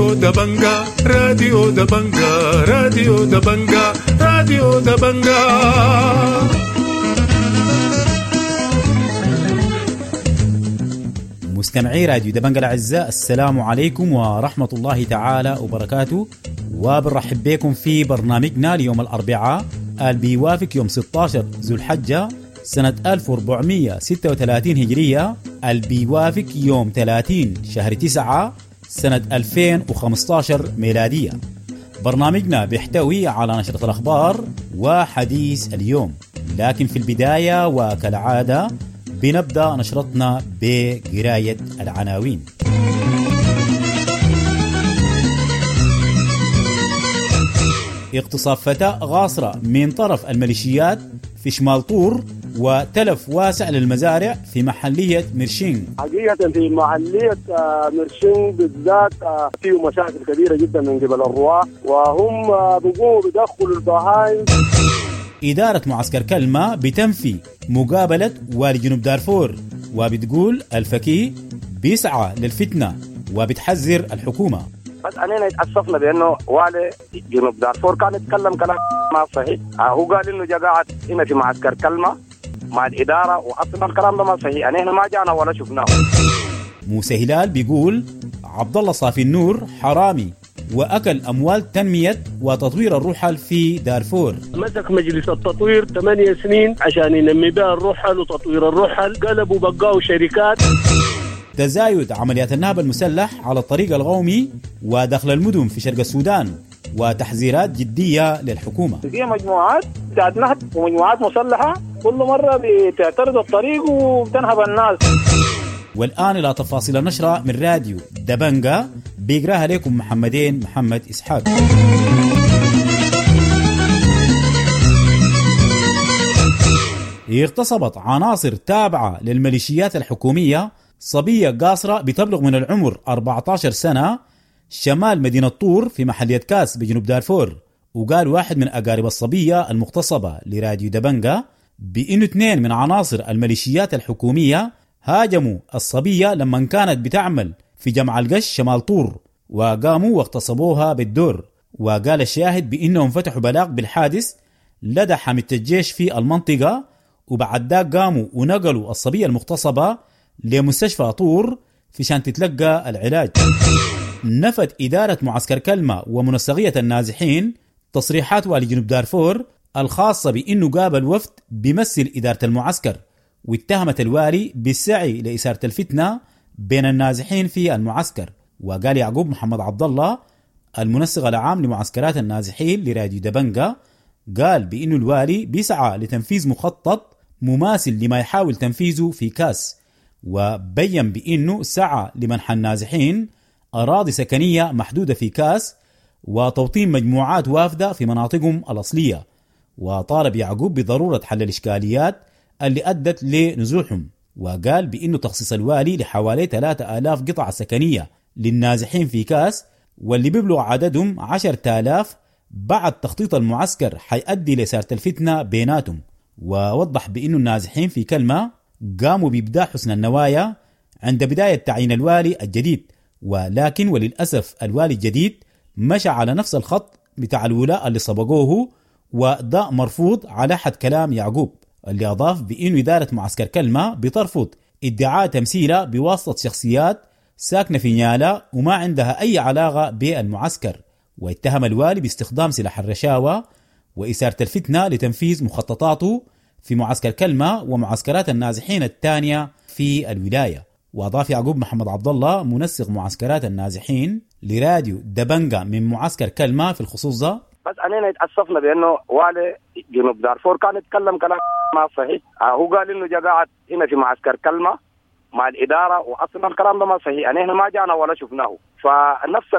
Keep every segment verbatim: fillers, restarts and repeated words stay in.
راديو دبنجا راديو دبنجا راديو دبنجا راديو دبنجا. مستمعي راديو دبنجا الأعزاء، السلام عليكم ورحمة الله تعالى وبركاته، وبنرحب بكم في برنامجنا ليوم الأربعاء اللي بيوافق يوم ستة عشر ذو الحجة سنة ألف وأربعمية وستة وثلاثين هجرية، اللي بيوافق يوم ثلاثين شهر تسعة سنة ألفين وخمسة عشر ميلادية. برنامجنا بيحتوي على نشرة الأخبار وحديث اليوم، لكن في البداية وكالعادة بنبدأ نشرتنا بقراية العناوين. اغتصاب فتاة غاصرة من طرف الميليشيات في شمال طور وتلف واسع للمزارع في محلية مرشين. حقيقة في محلية مرشين بالذات فيه مشاكل كبيرة جدا من قبل الرعاة، وهم بيقوموا بدخل البهائم. إدارة معسكر كلمة بتنفي مقابلة والي جنوب دارفور، وبتقول الفكي بيسعى للفتنة وبتحذر الحكومة. بس أننا اتأسفنا بأنه والي جنوب دارفور كان يتكلم كلام ما صحيح. هو قال إنه جاء قاعد هنا في معسكر كلمة مع الإدارة، وأصلا الكلام ده ما صحيح، أنا هنا ما جانا ولا شفناه. موسى هلال بيقول عبد الله صافي النور حرامي وأكل أموال تنمية وتطوير الرحل في دارفور. مسك مجلس التطوير ثمانية سنين عشان ينمي بها الرحل وتطوير الرحل، قلبوا بقاوا شركات. تزايد عمليات النهب المسلح على الطريق القومي ودخل المدن في شرق السودان، وتحذيرات جدية للحكومة. في مجموعات بتاعت نهب ومجموعات مسلحة كل مرة بتعترض الطريق وبتنهب الناس. والآن إلى تفاصيل النشرة من راديو دبنجا بيقراها لكم محمدين محمد إسحاق. اغتصبت عناصر تابعة للميليشيات الحكومية صبية قاصرة بتبلغ من العمر أربعة عشر سنة شمال مدينة طور في محلية كاس بجنوب دارفور. وقال واحد من أقارب الصبية المغتصبة لراديو دبنجا بأنه اثنين من عناصر الميليشيات الحكومية هاجموا الصبية لما كانت بتعمل في جمع القش شمال طور، وقاموا واغتصبوها بالدور. وقال الشاهد بأنهم فتحوا بلاغ بالحادث لدى حامية الجيش في المنطقة، وبعد ذاك قاموا ونقلوا الصبية المغتصبة لمستشفى طور في شان تتلقى العلاج. نفت إدارة معسكر كلمة ومنسقية النازحين تصريحات والي جنوب دارفور الخاصة بأنه قابل وفد بيمثل إدارة المعسكر، واتهمت الوالي بالسعي لإثارة الفتنة بين النازحين في المعسكر. وقال يعقوب محمد عبد الله المنسق العام لمعسكرات النازحين لراديو دبنجا، قال بأنه الوالي بيسعى لتنفيذ مخطط مماثل لما يحاول تنفيذه في كاس، وبين بأنه سعى لمنح النازحين أراضي سكنية محدودة في كاس وتوطين مجموعات وافدة في مناطقهم الأصلية. وطالب يعقوب بضرورة حل الإشكاليات اللي أدت لنزوحهم، وقال بأنه تخصيص الوالي لحوالي ثلاثة آلاف قطعة سكنية للنازحين في كاس واللي بيبلغ عددهم عشرة آلاف بعد تخطيط المعسكر حيؤدي لإثارة الفتنة بيناتهم. ووضح بأنه النازحين في كلمة قاموا بإبداع حسن النوايا عند بداية تعيين الوالي الجديد، ولكن وللأسف الوالي الجديد مشى على نفس الخط بتاع الولاء اللي سبقوه، وده مرفوض على حد كلام يعقوب اللي أضاف بأنه إدارة معسكر كلمة بترفض ادعاء تمثيله بواسطة شخصيات ساكنة في نيالا وما عندها أي علاقة بالمعسكر. واتهم الوالي باستخدام سلاح الرشاوى وإثارة الفتنة لتنفيذ مخططاته في معسكر كلمة ومعسكرات النازحين الثانية في الولاية. وأضاف يعقوب محمد عبد الله منسق معسكرات النازحين لراديو دبنجا من معسكر كلمة في الخصوص ده: بس أننا اتأسفنا بأنه والي جنوب دارفور كان يتكلم كلام ما صحيح. هو قال إنه جاء قاعد هنا في معسكر كلمة مع الإدارة، وأصلا الكلام ده ما صحيح، أنا هنا ما جانا ولا شفناه. فنفس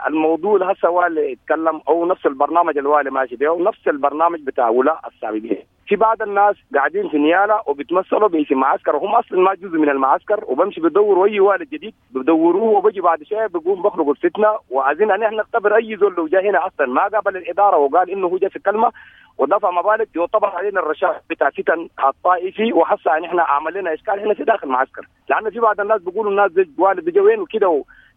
الموضوع هسه والي يتكلم أو نفس البرنامج الوالي ماشي به ونفس البرنامج بتاع ولاء السابقين. في بعض الناس قاعدين في نيالا وبيتمثلوا باسم معسكر وهم اصلا ما جزء من المعسكر، وبمشي بدوروا اي والد جديد بدوروه، وبجي بعد شويه بقوم بخلقوا الفتنه. وعايزين ان احنا نختبر اي زول لو جاء هنا اصلا ما قابل الاداره وقال انه هو جاء في كلمه ودفع مبالغ يعتبر علينا الرشاوى بتاع فتن الطائفي. وحسا ان احنا عمل لنا اشكال هنا في داخل المعسكر، لانه في بعض الناس بيقولوا الناس دي والد بيجوا وين وكده،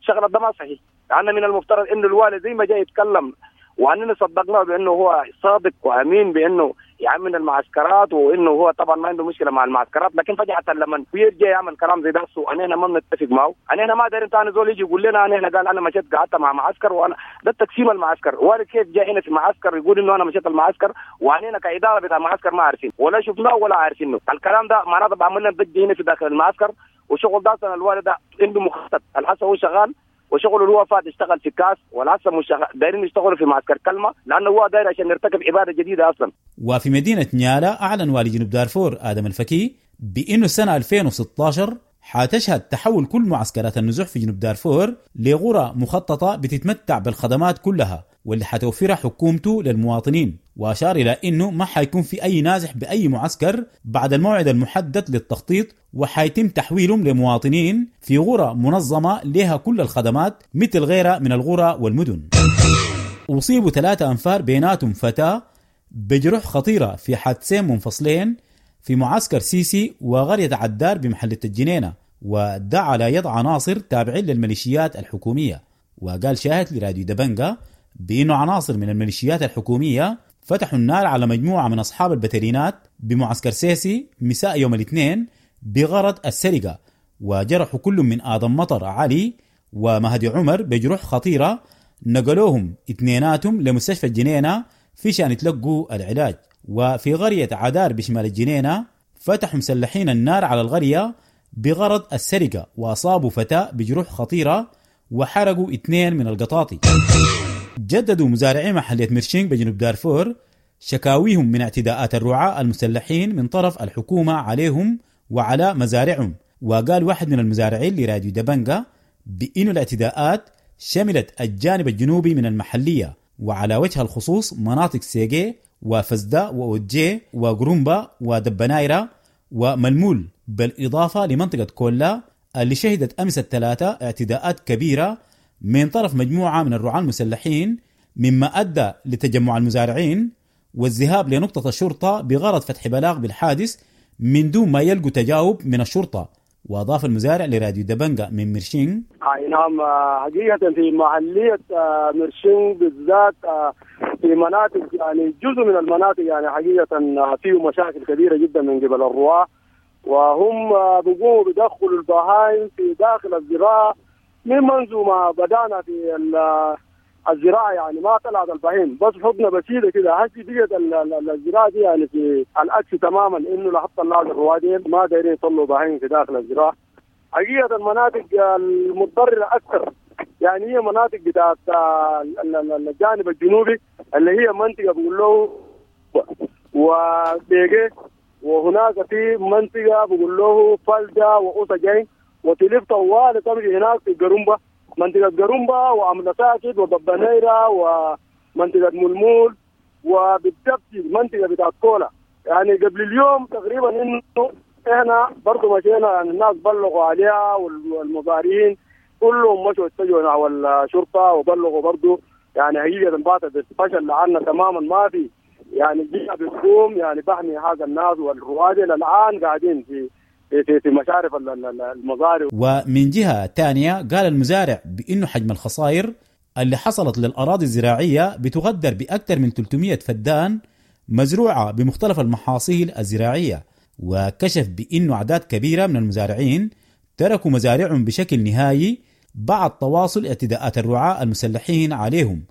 شغله ده ما صحيح. لأن من المفترض انه الوالي زي ما جاي يتكلم واننا صدقناه بانه هو صادق وامين بانه يعمل المعسكرات وانه هو طبعا ما عنده مشكلة مع المعسكرات، لكن فجاة لما يرجع يعمل كلام زي ده وانا ما بنتفق معه. انا ما داير ثاني زول يجي يقول لنا انا هنا قال انا مشيت قعدت مع معسكر وانا ده تقسيم المعسكر. ولا كيف جاي هنا في معسكر يقول انه انا مشيت المعسكر واننا كادارة بتاع المعسكر ما عارفين ولا شفناه ولا عارفينه. الكلام ده معناته بعمل لنا ضجه هنا في داخل المعسكر وشغل ده. الوالد ده عنده مخطط الحسن هو شغال وشغله اللي هو فات اشتغل في كاس والهسه مش دايرين يشتغلوا في معسكر كلمة لانه هو داير عشان يرتكب ابادة جديدة اصلا. وفي مدينة نيالا اعلن والي جنوب دارفور ادم الفكي بانه السنة ألفين وستة عشر حتشهد تحول كل معسكرات النزوح في جنوب دارفور لغرى مخططه بتتمتع بالخدمات كلها واللي حتوفرها حكومته للمواطنين، واشار الى انه ما حيكون في اي نازح باي معسكر بعد الموعد المحدد للتخطيط، وحيتم تحويلهم لمواطنين في غرى منظمة لها كل الخدمات مثل غيرها من الغرى والمدن. اصيبوا ثلاثة انفار بيناتهم فتاة بجروح خطيرة في حادثين منفصلين في معسكر سيسي وقرية عدار بمحلة الجنينة، وده على يد عناصر تابعين للميليشيات الحكومية. وقال شاهد لراديو دبنجا بأنه عناصر من الميليشيات الحكومية فتحوا النار على مجموعة من أصحاب البترينات بمعسكر سيسي مساء يوم الاثنين بغرض السرقة، وجرحوا كل من آدم مطر علي ومهدي عمر بجروح خطيرة، نقلوهم اثنيناتهم لمستشفى الجنينة في شان يتلقوا العلاج. وفي قرية عدار بشمال الجنينة فتحوا مسلحين النار على القرية بغرض السرقة وأصابوا فتاة بجروح خطيرة وحرقوا اثنين من القطاطي. جددوا مزارعي محلية مرشينغ بجنوب دارفور شكاويهم من اعتداءات الرعاة المسلحين من طرف الحكومة عليهم وعلى مزارعهم. وقال واحد من المزارعين لراديو دبنجا بأن الاعتداءات شملت الجانب الجنوبي من المحلية وعلى وجه الخصوص مناطق سيجي وفزداء وأوجي وغرومبا ودبنايرة وملمول، بالإضافة لمنطقة كولا اللي شهدت أمس الثلاثاء اعتداءات كبيرة من طرف مجموعة من الرعاة المسلحين، مما أدى لتجمع المزارعين والذهاب لنقطة الشرطة بغرض فتح بلاغ بالحادث من دون ما يلقوا تجاوب من الشرطة. وأضاف المزارع لراديو دبنجا من مرشين: نعم، حقيقة في محلية مرشين بالذات في مناطق يعني جزء من المناطق يعني حقيقة فيه مشاكل كبيرة جدا من قبل الرعاة، وهم بيقوموا بدخلوا البهائم في داخل الزراعة من منذ ما بدأنا في الزراعة، يعني ما طلعت البهيم بس حضنة بسيطة كده. هسي بقت الزراعة دي يعني في العكس تماما، إنه لحط الله الروادين ما دايرين يطلعوا بهيم في داخل الزراعة. حقيقة المناطق المتضررة أكثر يعني هي مناطق بتاعت الجانب الجنوبي اللي هي منطقة بقول له وبيجي، وهناك في منطقة بقول له فلدة وأوسجين، وتلف طوال تمشي هناك في قرنبة، منطقة قرنبة وأمنساكد وضبنيرة ومنطقة ملمول، وبالضبط منطقة بتاعت كولا. يعني قبل اليوم تقريبا إنه إحنا برضو مشينا، يعني الناس بلغوا عليها والمزارعين كلهم مشوا اتجهوا نحو الشرطة وبلغوا برضو. يعني حقيقة باتت الفشل لعنا تماما، ما في يعني جهة بتقوم يعني بحمي هذا الناس والرواد الآن قاعدين في في في مشارف المزارع. ومن جهة ثانية قال المزارع بأنه حجم الخسائر اللي حصلت للأراضي الزراعية بتقدر بأكثر من ثلاثمئة فدان مزروعة بمختلف المحاصيل الزراعية، وكشف بأنه أعداد كبيرة من المزارعين تركوا مزارعهم بشكل نهائي بعد تواصل اعتداءات الرعاة المسلحين عليهم.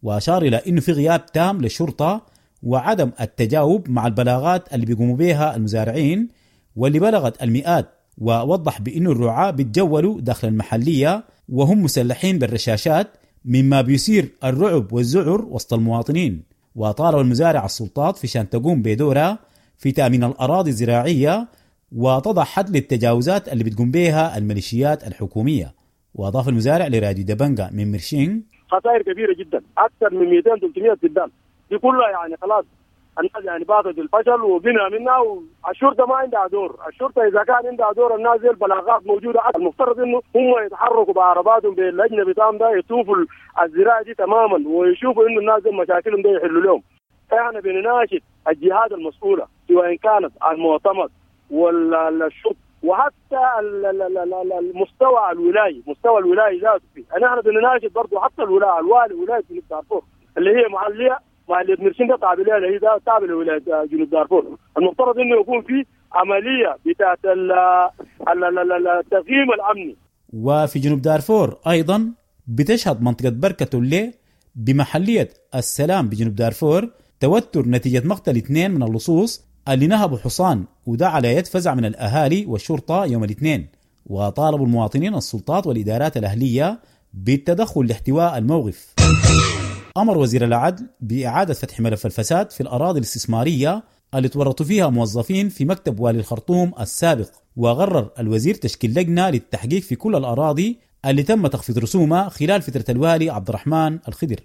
وأشار إلى أنه في غياب تام للشرطة وعدم التجاوب مع البلاغات اللي بيقوموا بها المزارعين واللي بلغت المئات. ووضح بأنه الرعاة بيتجولوا داخل المحلية وهم مسلحين بالرشاشات، مما بيثير الرعب والذعر وسط المواطنين. وطالب المزارع السلطات في شان تقوم بدورها في تأمين الأراضي الزراعية وتضع حد للتجاوزات اللي بتقوم بها الميليشيات الحكومية. وأضاف المزارع لراديو دبنجا من مرشين: خسائر كبيرة جدا، أكثر من مئتين ثلاثمئة فدان دي كلها يعني خلاص الناس يعني باطت الفشل وبنا منها. والشرطة ما عندها دور، الشرطة اذا كان عندها دور الناس دي البلاغات موجودة، المفترض انه هم يتحركوا بعرباتهم باللجنه بتاعهم ده يشوفوا الزراعة دي تماما ويشوفوا انه الناس دي مشاكلهم ده يحلوا لهم. احنا بنناشد الجهات المسؤولة سواء كانت المعتمد ولا الشرطة وحتى المستوى الولاي، مستوى الولاي ذاته فيه. نحن بنناشد برضه حتى الولاية، الوالي ولاية جنوب دارفور اللي هي محليه محليه مرشندا تابعه لها، هي تابعه لولاية جنوب دارفور. المفترض انه يكون في عملية بتاعت التقييم الامني. وفي جنوب دارفور ايضا بتشهد منطقة بركة اللي بمحليه السلام بجنوب دارفور توتر نتيجة مقتل اثنين من اللصوص اللي نهبوا حصان، وده على يد فزع من الأهالي والشرطة يوم الاثنين. وطالبوا المواطنين السلطات والإدارات الأهلية بالتدخل لاحتواء الموقف. أمر وزير العدل بإعادة فتح ملف الفساد في الأراضي الاستثمارية اللي تورطوا فيها موظفين في مكتب والي الخرطوم السابق، وغرر الوزير تشكيل لجنة للتحقيق في كل الأراضي اللي تم تخفيض رسومها خلال فترة الوالي عبد الرحمن الخضر.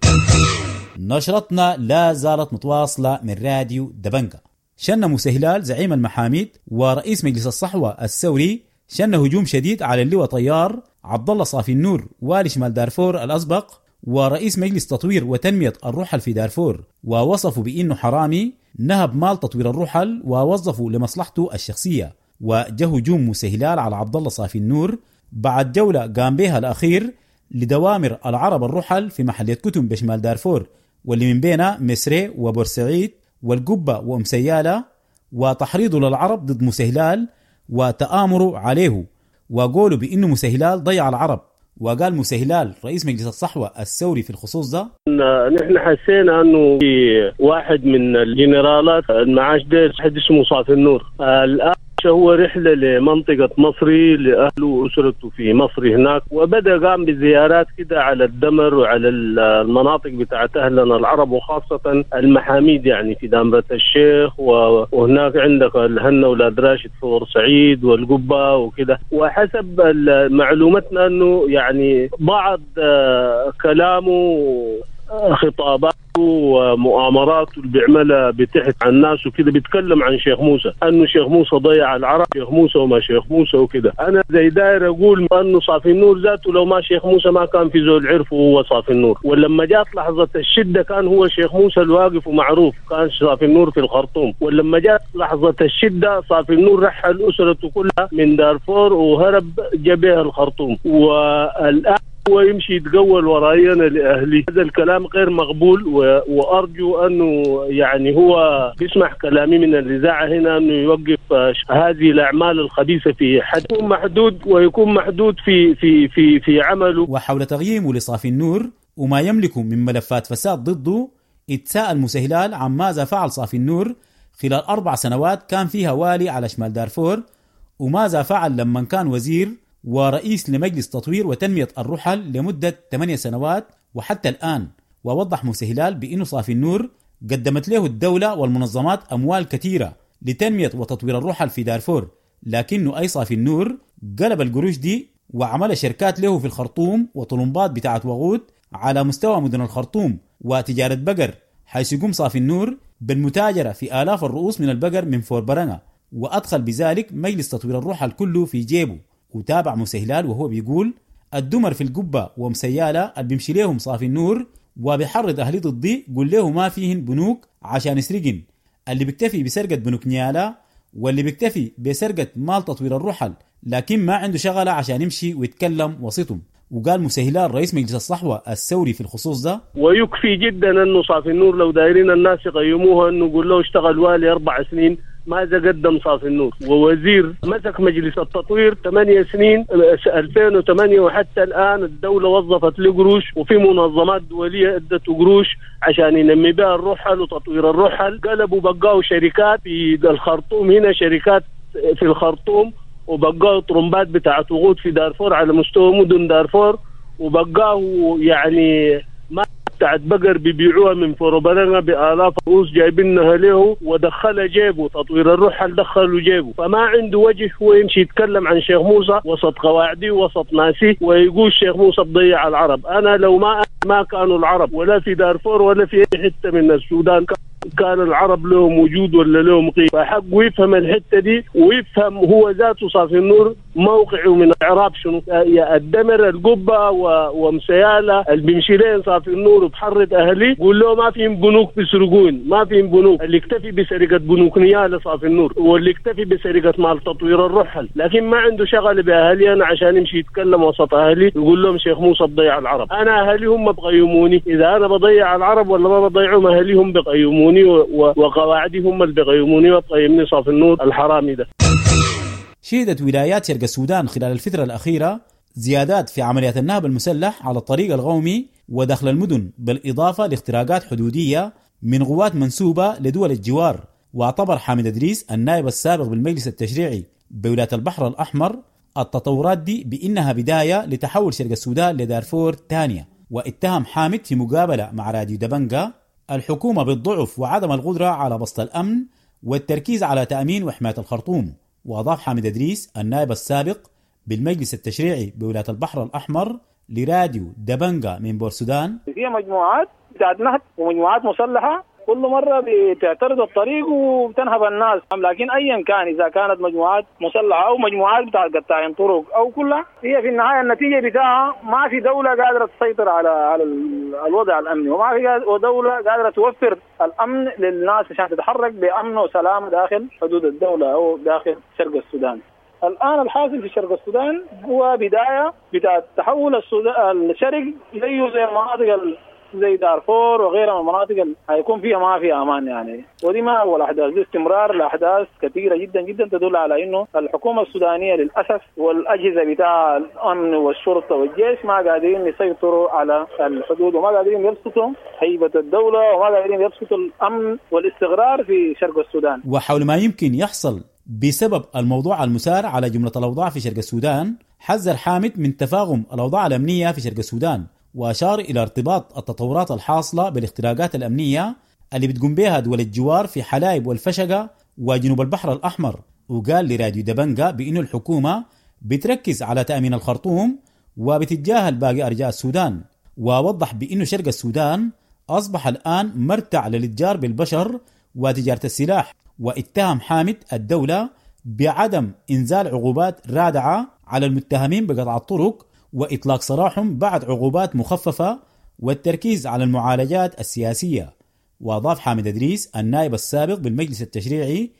نشرتنا لا زالت متواصلة من راديو دبنجا. شن موسى هلال زعيم المحاميد ورئيس مجلس الصحوة الثوري شن هجوم شديد على اللواء طيار عبد الله صافي النور والي شمال دارفور الأسبق ورئيس مجلس تطوير وتنمية الرحل في دارفور، ووصفوا بأنه حرامي نهب مال تطوير الرحل ووظفوا لمصلحته الشخصية. وجه هجوم موسى هلال على عبد الله صافي النور بعد جولة قام بها الأخير لدوامر العرب الرحل في محلية كتم بشمال دارفور، واللي من بينها مسري وبورسعيد والقبة وأم سيالة، وتحريضه للعرب ضد موسى هلال وتآمروا عليه، وقولوا بأنه موسى هلال ضيع العرب. وقال موسى هلال رئيس مجلس الصحوة الثوري في الخصوص ده: نحن حسينا أنه في واحد من الجنرالات المعاش ده حد اسمه صافي النور، الآن هو رحلة لمنطقة مصري لأهله وأسرته في مصر هناك، وبدأ قام بزيارات كده على الدمر وعلى المناطق بتاعت أهلنا العرب وخاصة المحاميد، يعني في دامرة الشيخ، وهناك عندك الهنة ولاد راشد في بورسعيد والقبة وكده. وحسب معلومتنا أنه يعني بعض كلامه خطاباته ومؤامراته اللي بيعملها بتحت عن الناس وكده، بيتكلم عن شيخ موسى انه شيخ موسى ضيع العرب، شيخ موسى وما شيخ موسى وكده. انا زي داير اقول انه صافي النور ذاته لو ما شيخ موسى ما كان في زول عرفه هو صافي النور، ولما جات لحظة الشدة كان هو شيخ موسى الواقف ومعروف، كان صافي النور في الخرطوم. ولما جات لحظة الشدة صافي النور رحل اسرته كلها من دارفور وهرب جبهة الخرطوم، والان هو يمشي يتقول وراينا لأهلي. هذا الكلام غير مقبول، و... وأرجو أنه يعني هو بيسمح كلامي من الإذاعة هنا أنه يوقف هذه الأعمال الخبيثة في حد يكون محدود، ويكون محدود في في في في عمله. وحول تغييمه لصافي النور وما يملكه من ملفات فساد ضده، اتساءل موسى هلال عن ماذا فعل صافي النور خلال أربع سنوات كان فيها والي على شمال دارفور، وماذا فعل لما كان وزير ورئيس لمجلس تطوير وتنمية الرحل لمدة ثمانية سنوات وحتى الآن. ووضح موسى هلال بأنه صافي النور قدمت له الدولة والمنظمات أموال كثيرة لتنمية وتطوير الرحل في دارفور، لكنه أي صافي النور قلب القروش دي وعمل شركات له في الخرطوم وطلمبات بتاعت وغود على مستوى مدن الخرطوم وتجارة بقر، حيث يقوم صافي النور بالمتاجرة في آلاف الرؤوس من البقر من فوربرنة، وأدخل بذلك مجلس تطوير الرحل كله في جيبه. وتابع موسى هلال وهو بيقول: الدمر في القبة ومسيالة اللي بيمشي ليهم صافي النور وبيحرض أهلي ضدي قول له ما فيهن بنوك عشان يسرقن، اللي بيكتفي بسرقة بنوك نيالا واللي بيكتفي بسرقة مال تطوير الرحل لكن ما عنده شغلة عشان يمشي ويتكلم وسطهم. وقال موسى هلال رئيس مجلس الصحوة الثوري في الخصوص ده: ويكفي جدا أنه صافي النور لو دايرين الناس يقيموها أنه يقول له اشتغل والي أربع سنين ماذا قدم صافي النور، ووزير مسك مجلس التطوير ثمانية سنين ألفين وثمانية وحتى الآن الدولة وظفت له قروش، وفي منظمات دولية ادت قروش عشان ينمي بها الرحل وتطوير الرحل. قلبوا بقاوا شركات في الخرطوم هنا، شركات في الخرطوم، وبقاوا طرمبات بتاعت وقود في دارفور على مستوى مدن دارفور، وبقاوا يعني ما بتاعت بقر بيبيعوها من فوربرنة بآلاف رؤوس جايبينها له ودخلها جيبه، تطوير الرحل دخلوا جيبه. فما عنده وجه هو يمشي يتكلم عن شيخ موسى وسط قواعدي وسط ناسي ويقول شيخ موسى تضيع العرب. أنا لو ما ما كانوا العرب ولا في دارفور ولا في أي حتة من السودان كان العرب لهم وجود ولا لهم قيمة. فحقه يفهم الحتة دي ويفهم هو ذاته صافي النور موقعه من الاعراب شنو؟ يا الدمر القبة ومسياله اللي بيمشي لين صافي النور وبحرة اهلي قول له ما في بنوك بيسرقون، ما في بنوك. اللي اكتفي بسرقه بنوك نياله صافي النور، واللي اكتفي بسرقه مال تطوير الرحل، لكن ما عنده شغله باهلي انا عشان يمشي يتكلم وسط اهلي يقول لهم شيخ موسى بضيع العرب. انا اهلي هم بقيموني، اذا انا بضيع العرب ولا ما بضيعهم اهلي هم بقيموني، وقواعدي هم اللي بقيموني وبقيمني صافي النور الحرامي ده. شهدت ولايات شرق السودان خلال الفترة الأخيرة زيادات في عمليات النهب المسلح على الطريق القومي ودخل المدن، بالإضافة لاختراقات حدودية من قوات منسوبة لدول الجوار. واعتبر حامد إدريس النائب السابق بالمجلس التشريعي بولاية البحر الأحمر التطورات دي بإنها بداية لتحول شرق السودان لدارفور ثانية. واتهم حامد في مقابلة مع راديو دبنجا الحكومة بالضعف وعدم القدرة على بسط الأمن والتركيز على تأمين وحماية الخرطوم. وأضاف حامد إدريس النائب السابق بالمجلس التشريعي بولاية البحر الأحمر لراديو دبنجا من بورسودان: في مجموعات بتاعت نهب ومجموعات مسلحة كل مرة بتعترض الطريق وبتنهب الناس، لكن أيا كان إذا كانت مجموعات مسلحة أو مجموعات بتاعت قطاعين طرق أو كلها، هي في النهاية النتيجة بتاعها ما في دولة قادرة تسيطر على على الوضع الأمني، وما في دولة قادرة توفر الأمن للناس عشان تتحرك بأمن وسلام داخل حدود الدولة أو داخل شرق السودان. الآن الحاصل في شرق السودان هو بداية بتاع تحول السودان الشرق زيه زي المناطق زي دارفور وغيرها من المناطق اللي هيكون فيها ما فيها امان يعني. ودي ما اول احداث، دي استمرار لاحداث كثيرة جدا جدا تدل على انه الحكومة السودانية للاسف والاجهزة بتاع الامن والشرطة والجيش ما قادرين يسيطروا على الحدود، وما قادرين يبسطوا هيبة الدولة، وما قادرين يبسطوا الامن والاستقرار في شرق السودان. وحول ما يمكن يحصل بسبب الموضوع المثار على جملة الاوضاع في شرق السودان، حذر حامد من تفاقم الاوضاع الامنية في شرق السودان، وأشار إلى ارتباط التطورات الحاصلة بالاختراقات الأمنية اللي بتقوم بها دول الجوار في حلايب والفشقة وجنوب البحر الأحمر. وقال لراديو دبنجا بأن الحكومة بتركز على تأمين الخرطوم وبتتجاهل باقي أرجاء السودان. ووضح بأن شرق السودان أصبح الآن مرتع للاتجار بالبشر وتجارة السلاح. واتهم حامد الدولة بعدم إنزال عقوبات رادعة على المتهمين بقطع الطرق وإطلاق سراحهم بعد عقوبات مخففة والتركيز على المعالجات السياسية. وأضاف حامد إدريس النائب السابق بالمجلس التشريعي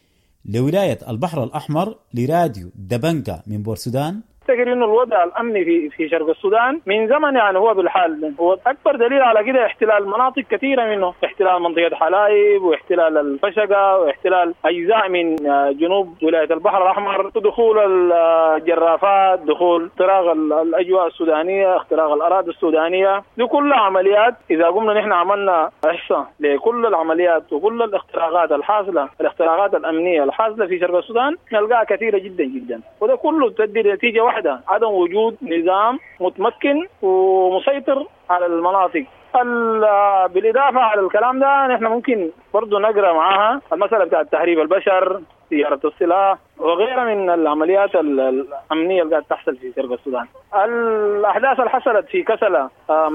لولاية البحر الأحمر لراديو دبنكا من بورسودان: افتكر انه الوضع الامني في في شرق السودان من زمن يعني هو بالحال، هو اكبر دليل على كده احتلال مناطق كثيرة منه، احتلال منطقة حلايب واحتلال الفشقه واحتلال اجزاء من جنوب ولاية البحر الاحمر، دخول الجرافات، دخول اختراق الاجواء السودانية، اختراق الاراضي السودانية، دي كلها عمليات. اذا قمنا نحن عملنا احصاء لكل العمليات وكل الاختراقات الحاصلة، الاختراقات الامنية الحاصلة في شرق السودان نلقاها كثيرة جدا جدا، وده كله تؤدي لنتيجة واحدة، عدم وجود نظام متمكن ومسيطر على المناطق. بالإضافة على الكلام ده نحن ممكن برضو نقرأ معاها المسألة بتاعت تهريب البشر، تجارة السلاح وغيرها من العمليات الأمنية اللي قاعدة تحصل في شرق السودان. الأحداث اللي حصلت في كسلة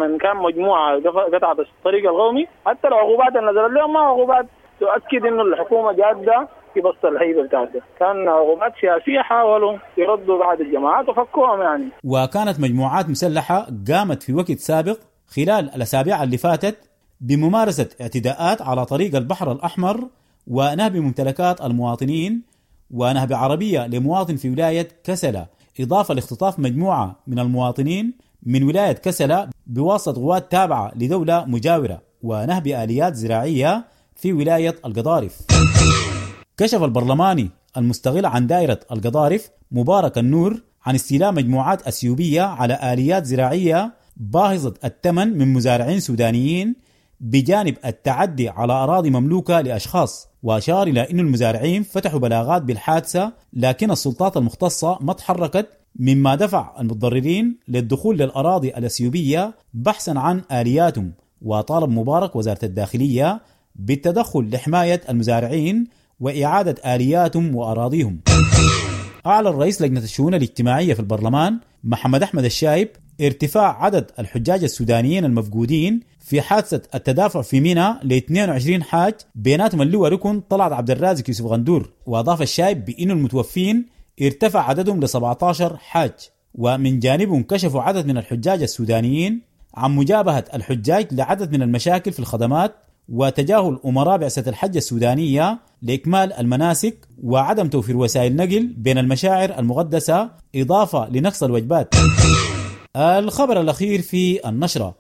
من كان مجموعة قطعت الطريق القومي، حتى العقوبات اللي نزلت لهم ما عقوبات تؤكد إنه الحكومة جادة في بسط الهيبة بتاعته، كان عقوبات سياسية حاولوا يردوا بعض الجماعات وفكوهم يعني. وكانت مجموعات مسلحة قامت في وقت سابق خلال الأسابيع اللي فاتت بممارسة اعتداءات على طريق البحر الأحمر ونهب ممتلكات المواطنين ونهب عربية لمواطن في ولاية كسلة، إضافة لاختطاف مجموعة من المواطنين من ولاية كسلة بواسطة قوات تابعة لدولة مجاورة ونهب آليات زراعية في ولاية القضارف. كشف البرلماني المستغل عن دائرة القضارف مبارك النور عن استيلاء مجموعات أثيوبية على آليات زراعية باهظة الثمن من مزارعين سودانيين بجانب التعدي على أراضي مملوكة لأشخاص. وأشار إلى أن المزارعين فتحوا بلاغات بالحادثة لكن السلطات المختصة ما تحركت، مما دفع المتضررين للدخول للأراضي الأثيوبية بحثا عن آلياتهم. وطالب مبارك وزارة الداخلية بالتدخل لحماية المزارعين وإعادة آلياتهم وأراضيهم. أعلن رئيس لجنة الشؤون الاجتماعية في البرلمان محمد أحمد الشايب ارتفاع عدد الحجاج السودانيين المفقودين في حادثة التدافع في منى ل اثنين وعشرين حاج بيناتهم اللواء ركن طلعت عبد الرازق يوسف غندور. وأضاف الشايب بأن المتوفين ارتفع عددهم ل سبعتاشر حاج. ومن جانبهم كشفوا عدد من الحجاج السودانيين عن مجابهة الحجاج لعدد من المشاكل في الخدمات وتجاهل أمراء بعثة الحج السودانية لإكمال المناسك وعدم توفير وسائل نقل بين المشاعر المقدسة، إضافة لنقص الوجبات. الخبر الأخير في النشرة: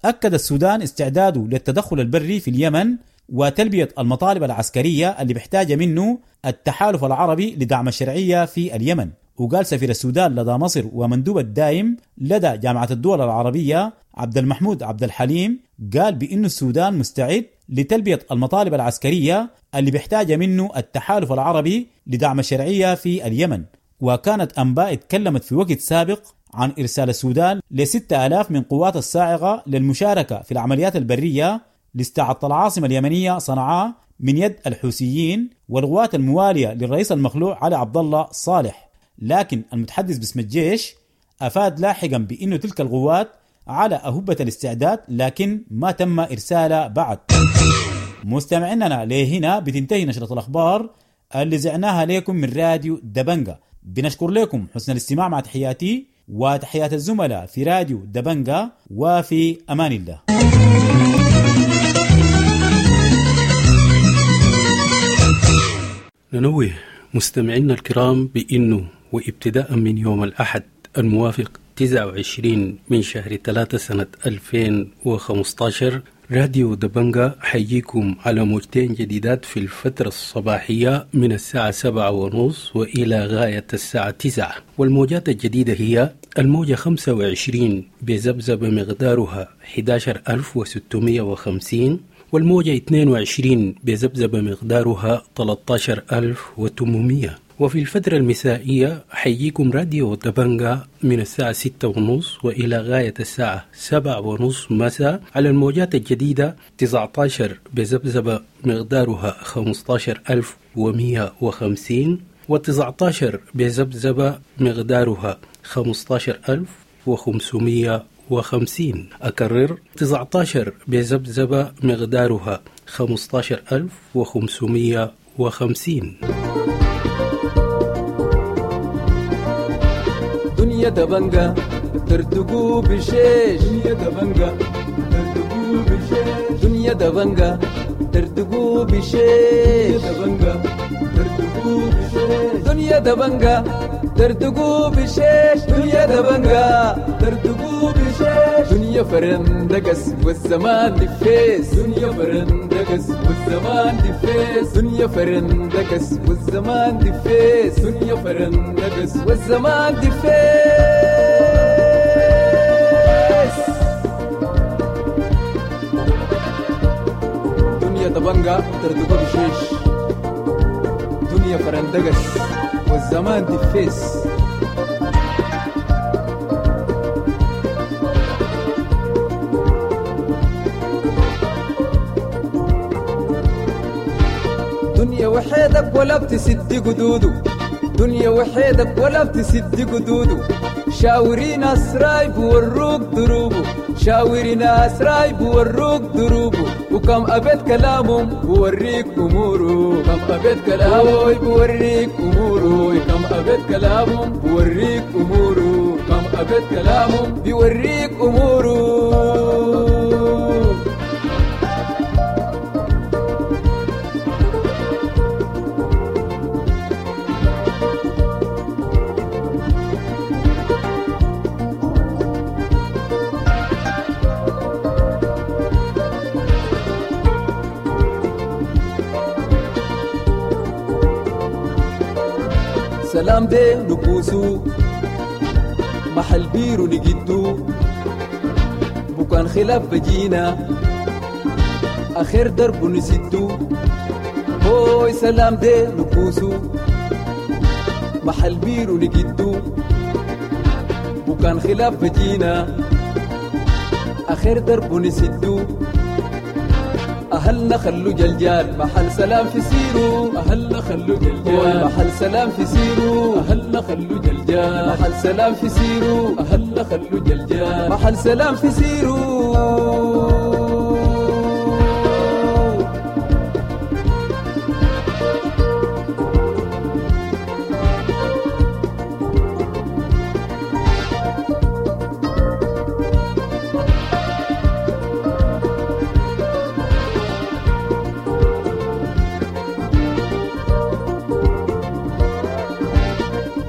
أكد السودان استعداده للتدخل البري في اليمن وتلبية المطالب العسكرية اللي بيحتاج منه التحالف العربي لدعم الشرعية في اليمن. وقال سفير السودان لدى مصر ومندوب الدائم لدى جامعة الدول العربية عبد المحمود عبد الحليم، قال بأن السودان مستعد لتلبية المطالب العسكرية اللي بيحتاج منه التحالف العربي لدعم الشرعية في اليمن. وكانت أنباء اتكلمت في وقت سابق عن إرسال السودان لستة آلاف من قوات الصاعقة للمشاركة في العمليات البرية لاستعادة العاصمة اليمنية صنعاء من يد الحوثيين والقوات الموالية للرئيس المخلوع علي عبد الله صالح. لكن المتحدث باسم الجيش أفاد لاحقا بأن تلك القوات على أهبة الاستعداد، لكن ما تم إرسالها بعد. مستمعيننا لهنا بتنتهي نشرة الأخبار اللي زعناها لكم من راديو دبنجا. بنشكر لكم حسن الاستماع، مع تحياتي وتحيات الزملاء في راديو دبنجا، وفي أمان الله. ننوه مستمعينا الكرام بأنه وابتداء من يوم الأحد الموافق تسعة وعشرين من شهر ثلاثة سنة ألفين وخمسة عشر، راديو دبنجا حيجيكم على موجتين جديدات في الفترة الصباحية من الساعة سبعة ونص وإلى غاية الساعة تسعة. والموجات الجديدة هي الموجة خمسة وعشرين بذبذبة مقدارها أحد عشر ألف وستمية وخمسين، والموجة اثنين وعشرين بذبذبة مقدارها ثلاثة عشر ألف وثمانمية. وفي الفترة المسائية حيجيكم راديو دبنجا من الساعة ستة ونص وإلى غاية الساعة سبعة ونص مساء على الموجات الجديدة تسعة عشر بذبذبة مقدارها خمسة عشر ألف ومية وخمسين، وتسعة عشر بذبذبة مقدارها خمسة عشر ألف وخمسمية وخمسين. أكرر، تسعة عشر بذبذبة مقدارها خمسة عشر ألف وخمسمية وخمسين. دنيا دبنجا ترتقو بشيش، دنيا دبنجا ترتقو بشيش، دنيا دبنجا ترتقو بشيش، دبنجا ترتقو بشيش، دنيا دبنجا ترتقو بشيش، دنيا دبنجا ترتقو بشيش، دنيا فرندقس والزمان دفيس، دنيا فرندقس والزمان دفيس، دنيا فرندقس والزمان دفيس، دنيا فرندقس والزمان دفيس. دنيا دبنجا ترتقو بشيش، دنيا فرندقس والزمان دفيس. دنيا وحيدك ولا بتسد قدوده، دنيا وحيدك ولا بتسد قدوده، شاوري ناس رايب وروك دروبه، شاوري ناس رايب وروك دروبه، وكم أبيت كلامهم بوريك أموره، كم أبيت كلامه بوريك أموره، كم أبيت كلامهم بوريك أموره، كم أبيت كلامهم بيوريك أموره. سلام دي نبوسو محل بيرو نجدو، بكان خلاف بجينا آخر درب نسدو. هوي سلام دي نبوسو محل بيرو نجدو، بكان خلاف بجينا آخر درب نسدو. أهلنا خلو جلجال محل سلام في سيرو، أهلنا خلو جلجال محل سلام في سيرو، أهلنا خلو جلجال محل سلام في سيرو، أهلنا خلو جلجال محل سلام في سيرو.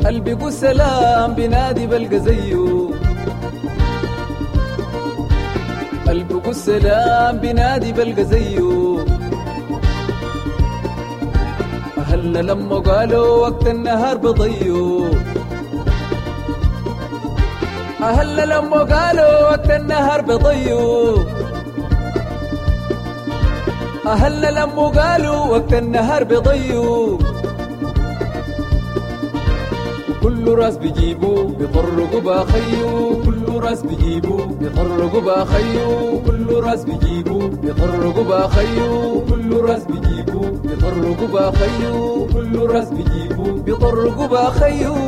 قلبي سلام بنادي بلقى زيه، قلبي السلام بنادي بلقى زيه. أهلنا لما قالوا وقت النهار بضيو، أهلنا لما قالوا وقت النهار بضيو، أهلنا لما قالوا وقت النهار بضيو. كل راس بيجيبو بيطرقوا باخيو، كل راس بيجيبو بيطرقوا باخيو، كل راس بيجيبو بيطرقوا باخيو، كل راس بيجيبو بيطرقوا باخيو، كل راس بيجيبو بيطرقوا باخيو.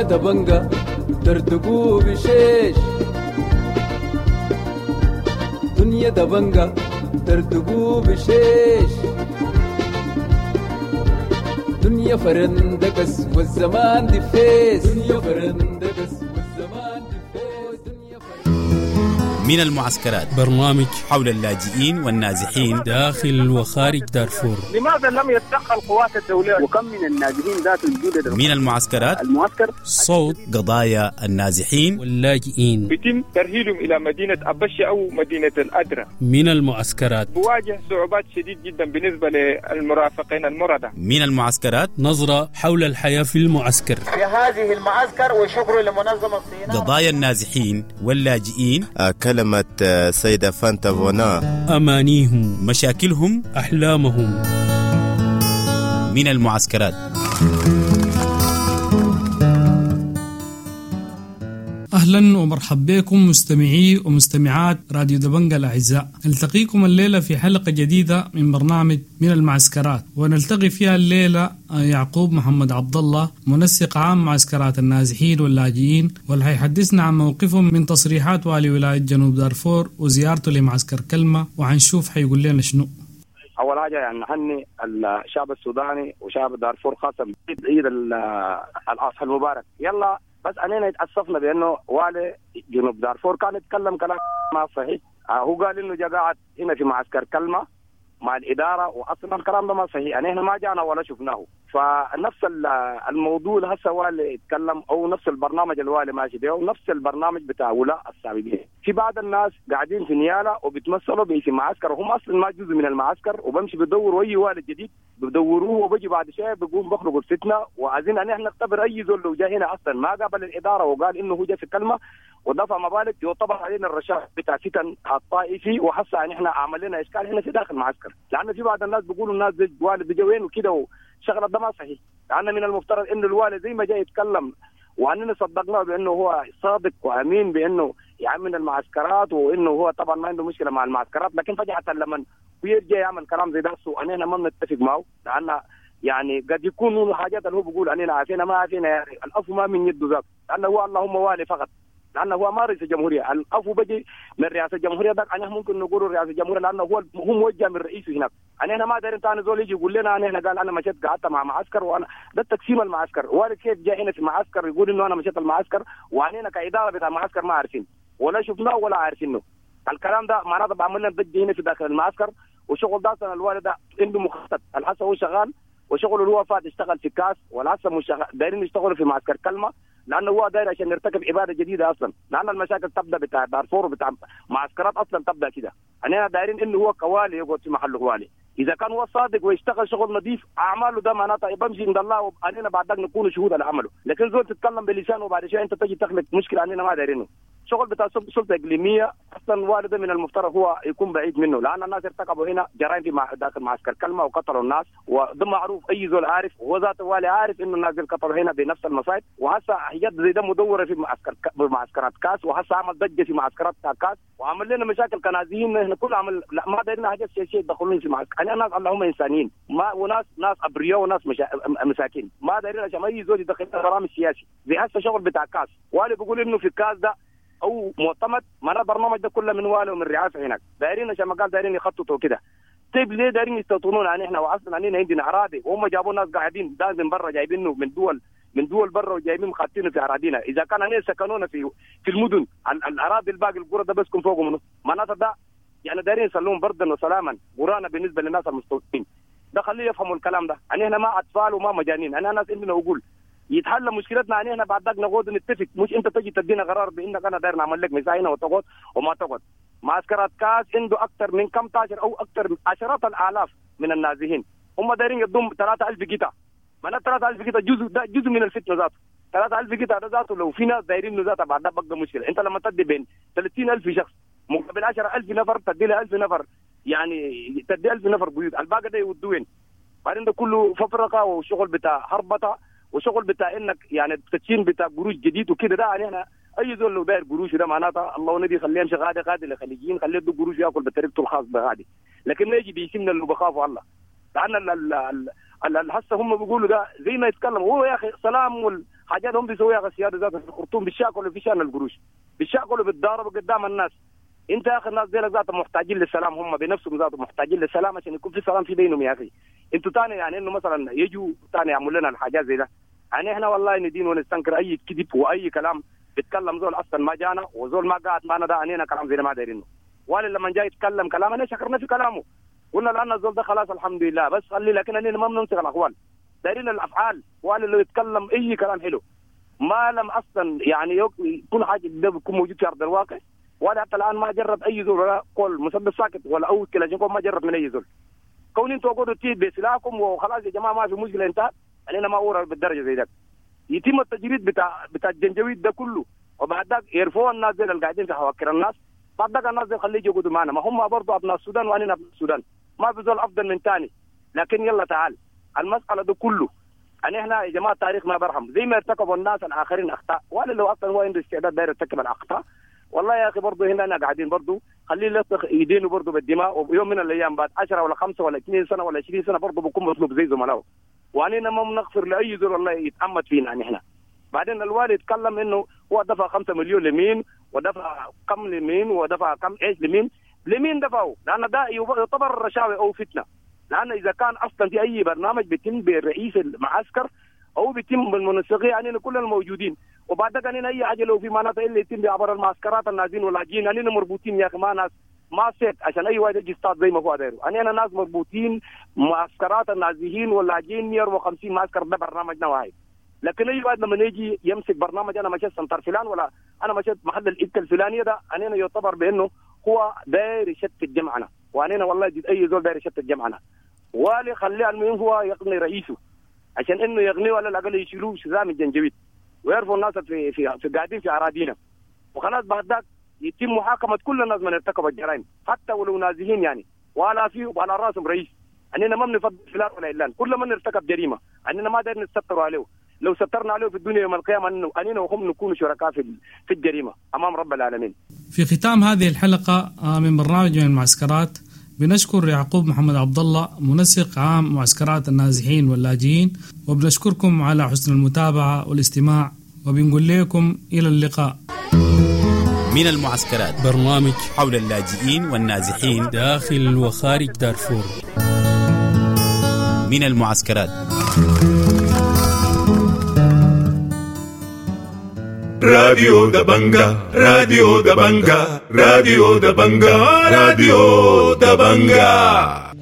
دبنجة دردقو بشيش، دنيا دبنجة دردقو بشيش، دنيا فرندقس والزمان دفيس، دنيا فرندقس والزمان دفيس. دنيا فرندقس. من المعسكرات برنامج حول اللاجئين والنازحين داخل وخارج دارفور. لماذا لم يتدخل قوات الدولة؟ وكم من النازحين ذات الجودة من المعسكرات المعسكر صوت قضايا النازحين واللاجئين بيتم ترهيلهم إلى مدينة أبشة أو مدينة الأدرة. من المعسكرات بواجه صعوبات شديد جدا بالنسبة للمرافقين المرضى. من المعسكرات نظرة حول الحياة في المعسكر في هذه المعسكر، وشكر لمنظمة الصينية. قضايا النازحين واللاجئين، كلمة سيدة فانتا فونا، أمانيهم، مشاكلهم، أحلامهم. من المعسكرات. أهلا ومرحبا بكم مستمعي ومستمعات راديو دبنجة الأعزاء. نلتقيكم الليلة في حلقة جديدة من برنامج من المعسكرات، ونلتقي فيها الليلة يعقوب محمد عبد الله منسق عام معسكرات النازحين واللاجئين، واللي حيحدثنا عن موقفهم من تصريحات والي ولاية جنوب دارفور وزيارته لمعسكر كلمة، وحنشوف حيقول لنا شنو. أول حاجة يعني نهني الشعب السوداني وشعب دارفور خاصة بعيد الأضحى المبارك. يلا بس أننا اتأسفنا بأنه والي جنوب دارفور كان يتكلم كلام ما صحيح. هو قال إنه جا قاعد هنا في معسكر كلمة مع الإدارة، وأصلا الكلام ده ما صحيح، يعني إحنا ما جانا ولا شفناه. فنفس الموضوع هسه والي يتكلم أو نفس البرنامج الوالي ماشي به ونفس البرنامج بتاع ولاء السابقين. في بعض الناس قاعدين في نيالة وبيتمثلوا باسم معسكر وهم أصلا ما جزء من المعسكر، وبمشي بدوروا أي والي جديد بدوروه، وبجي بعد شوية بيقوم بخرجوا الفتنة. وعايزين أن احنا نختبر أي زول لو جاء هنا أصلا ما قابل الإدارة وقال إنه هو جاء في كلمة ودفع مبالغ يعتبر علينا الرشاة بتاع فتن الطائفي. وحسا ان احنا عمل لنا اشكال هنا في داخل المعسكر، لان في بعض الناس بيقولوا الناس زي الوالد بيجي وين وكده، وشغله ده ما صحيح. لان من المفترض انه الوالد زي ما جاي يتكلم واننا صدقناه بانه هو صادق وامين بانه يعمل المعسكرات وانه هو طبعا ما عنده مشكله مع المعسكرات، لكن فجاه لما ويرجع يعمل كلام زي ده واننا ما بنتفق معه، لان يعني قد يكون الحاجات اللي هو بيقول اننا عارفينها ما عارفينها، يعني العفو ما من يده ذاته، لانه هو اللهم والي فقط، لانه هو ما رئيس الجمهوريه. العفو بيجي من رئاسه الجمهوريه ده، انا ممكن نقول رئاسه الجمهوريه لانه هو هو موجه من رئيسه هناك. انا هنا ما دارين ثاني زول يجي يقول لنا انا هنا قال انا مشيت قعدت مع معسكر، وانا ده تقسيم المعسكر. والي كيف جاء هنا في معسكر يقول انه انا مشيت المعسكر، واننا كاداره بتاع المعسكر ما عارفين ولا شفناه ولا عارفينه. الكلام ده معناته بعمل لنا ضجه هنا في داخل المعسكر. وشغل ده اصلا الوالد ده عنده مخطط، الحسن هو شغال وشغله اللي هو فات اشتغل في كاس، والحسن مش دايرين يشتغلوا في معسكر كلمه، لانه هو داير عشان يرتكب اباده جديده اصلا، لان المشاكل تبدا بتاع دارفور وبتاع معسكرات اصلا تبدا كده. انا دايرين انه هو كوالي يقعد في محله والي، اذا كان هو صادق ويشتغل شغل نظيف اعماله ده معناته بمشي عند الله واننا بعد ذلك نكون شهود على عمله. لكن زول تتكلم بلسانه وبعد شويه انت تجي تخلق مشكله اننا ما دايرينه. شغل بتاع سلطه اقليميه اصلا والده من المفترض هو يكون بعيد منه، لان الناس ارتكبوا هنا جرائم في مع داخل معسكر كلمه وقتلوا الناس، وده معروف اي زول عارف، وهو ذاته والي عارف انه الناس اللي قتلوا هنا بنفس المصايب. وهسه حاجات زي ده مدوره في معسكر معسكرات كاس، وهسه عمل ضجه في معسكرات كاس وعمل لنا مشاكل كنازيين. احنا كل عمل لا ما دايرين حاجات سياسيه يدخلون في معسكر. انا ناس اللهم انسانيين ما وناس ناس ابرياء وناس مشا... مساكين، ما دايرين عشان اي زول يدخل برامج سياسي زي هسه شغل بتاع كاس. والي بيقول انه في الكاس ده او معتمد، معناه البرنامج ده كله من والي ومن رئاسة هناك، دايرين عشان ما قال دايرين يخططوا كده. طيب ليه دايرين يستوطنونا يعني احنا واصلا علينا عندنا اراضي، وهم جابوا ناس قاعدين ده من برا جايبينه من دول من دول برا وجايبين خاطينه في اراضينا. اذا كان علينا سكنونا في في المدن الاراضي الباقي القرى ده بسكن فوقه منه، معناته ده يعني دايرين يسلمون بردا وسلاما قرانا بالنسبة للناس المستوطنين. ده خليه يفهموا الكلام ده، يعني احنا ما اطفال وما مجانين، انا ناس عندنا عقول يتحل مشكلتنا. يعني احنا بعد ذاك نقعد نتفق، مش انت تجي تدينا قرار بانك انا داير نعمل لك مساحة هنا وتقعد وما تقعد. معسكرات كاس عنده اكثر من كم تاجر او اكثر من عشرات الالاف من النازحين، هم دايرين يضم ثلاثة ألف قطعه. معناها ثلاثة ألف قطعه جزء ده جزء من الفتنة ذاته. ثلاثة ألف قطعه ده ذاته لو في ناس دايرين ذاته بعد ده بقى مشكلة. انت لما تدي بين ثلاثين ألف شخص مقابل عشرة ألف نفر تدي له ألف نفر، يعني تدي ألف نفر بيوت، الباقي ده يودوا وين؟ بعدين ده كله ففرقه وشغل بتاع هربطه وشغل بتاع انك يعني تدشين بتاع قروش جديد وكده. ده يعني احنا اي زول لو داير قروش ده معناته الله ونبي خليه يمشي غادي غادي للخليجيين، خليه يدوا قروش ياكل بطريقته الخاص بغادي، لكن ما يجي بيسمنا اللي بخافوا الله. لان هسه هم بيقولوا ده زي ما يتكلم هو يا اخي سلام والحاجات هم بيسويها يا اخي السيادة ذاتها في الخرطوم، بيشاكلوا في شان القروش، بيشاكلوا بالضارب قدام الناس. انت يا اخي الناس دي ذاتهم محتاجين للسلام، هم بنفسهم ذاتهم محتاجين للسلام عشان يكون في سلام في بينهم يا اخي. انتوا تاني يعني انه مثلا يجوا تاني يعملوا لنا الحاجات زي ده، يعني احنا والله ندين ونستنكر اي كذب واي كلام بيتكلم زول اصلا ما جانا وزول ما قاعد معنا، ده علينا كلام زي ده ما دايرينه. ولا لما جاي يتكلم كلام انا شكرنا في كلامه، قلنا لان الزول ده خلاص الحمد لله بس خلي، لكن اننا ما بنمسك الاقوال، دايرين الافعال. ولا لو يتكلم اي كلام حلو ما لم اصلا يعني كل حاجة ده بيكون موجود في ارض الواقع. ولا حتى الان ما جرب اي زول ولا قول مسدس ساكت ولا او كلاشينكوف ما جرب من اي زول. كون انتوا قعدوا تيد بسلاحكم وخلاص يا جماعة ما في مشكلة انتهت، علينا ما اورا بالدرجة زي ده. يتم التجريد بتاع بتاع الجنجويد ده كله، وبعد ذاك يرفعوا الناس زي اللي قاعدين في حواكر الناس، بعد ذاك الناس زي خليه يقعدوا معنا، ما هم برضه ابناء السودان واننا ابناء السودان، ما في زول افضل من ثاني. لكن يلا تعال المسالة ده كله يعني احنا يا جماعة التاريخ ما برحم، زي ما ارتكبوا الناس الاخرين اخطاء، ولا لو اصلا هو عنده استعداد داير يرتكب الاخطاء. والله يا اخي برضه هنا انا قاعدين برضه خليه يلطخ ايدينه برضه بالدماء، ويوم من الايام بعد عشرة ولا خمسة ولا اثنين سنة ولا عشرين سنة برضه بكون مطلوب زي زملائه. واننا ما بنغفر لاي زول والله يتعمد فينا يعني احنا. بعدين الوالي يتكلم انه هو دفع خمسة مليون لمين ودفع كم لمين ودفع كم ايش لمين لمين دفعوا، لان ده يعتبر رشاوي او فتنة. لان اذا كان اصلا في اي برنامج بيتم بالرئيس المعسكر او بيتم بالمنسقيه يعني كل الموجودين، وبعد ذلك يعني اي حاجة لو في معناتها اللي يتم بعبر المعسكرات النازين واللاجئين، يعني مربوطين يا اخي، ما ناس ما سيت عشان اي واحد يجي يصطاد زي ما هو دايرة. يعني انا ناس مربوطين معسكرات النازحين واللاجئين مئة وخمسين معسكر، ده برنامجنا واحد. لكن اي واحد لما يجي يمسك برنامج انا مشيت سنتر فلان ولا انا مشيت محل الإبكة الفلانية، ده انا يعتبر بانه هو داير يشتت جمعنا. واننا والله جد اي زول داير يشتت جمعنا، والي خليه المهم هو يغني رئيسه عشان انه يغنيه ولا الاقل يشيلوه شزام الجنجويد ويعرفوا الناس في في في قاعدين في اراضينا. وخلاص بعد ذاك يتم محاكمة كل الناس من ارتكب الجرائم حتى ولو نازحين يعني، ولا في وعلى راسهم رئيس. اننا ما بنفضل فلان ولا علان، كل من ارتكب جريمة اننا ما داير نستر عليه، لو سترنا عليه في الدنيا يوم القيامة انه اننا وهم نكون شركاء في في الجريمة امام رب العالمين. في ختام هذه الحلقة من برنامج من المعسكرات بنشكر يعقوب محمد عبد الله منسق عام معسكرات النازحين واللاجئين، وبنشكركم على حسن المتابعة والاستماع، وبنقول لكم إلى اللقاء. من المعسكرات برنامج حول اللاجئين والنازحين داخل وخارج دارفور. من المعسكرات. راديو دبنجا، راديو دبنجا، راديو دبنجا، راديو دبنجا.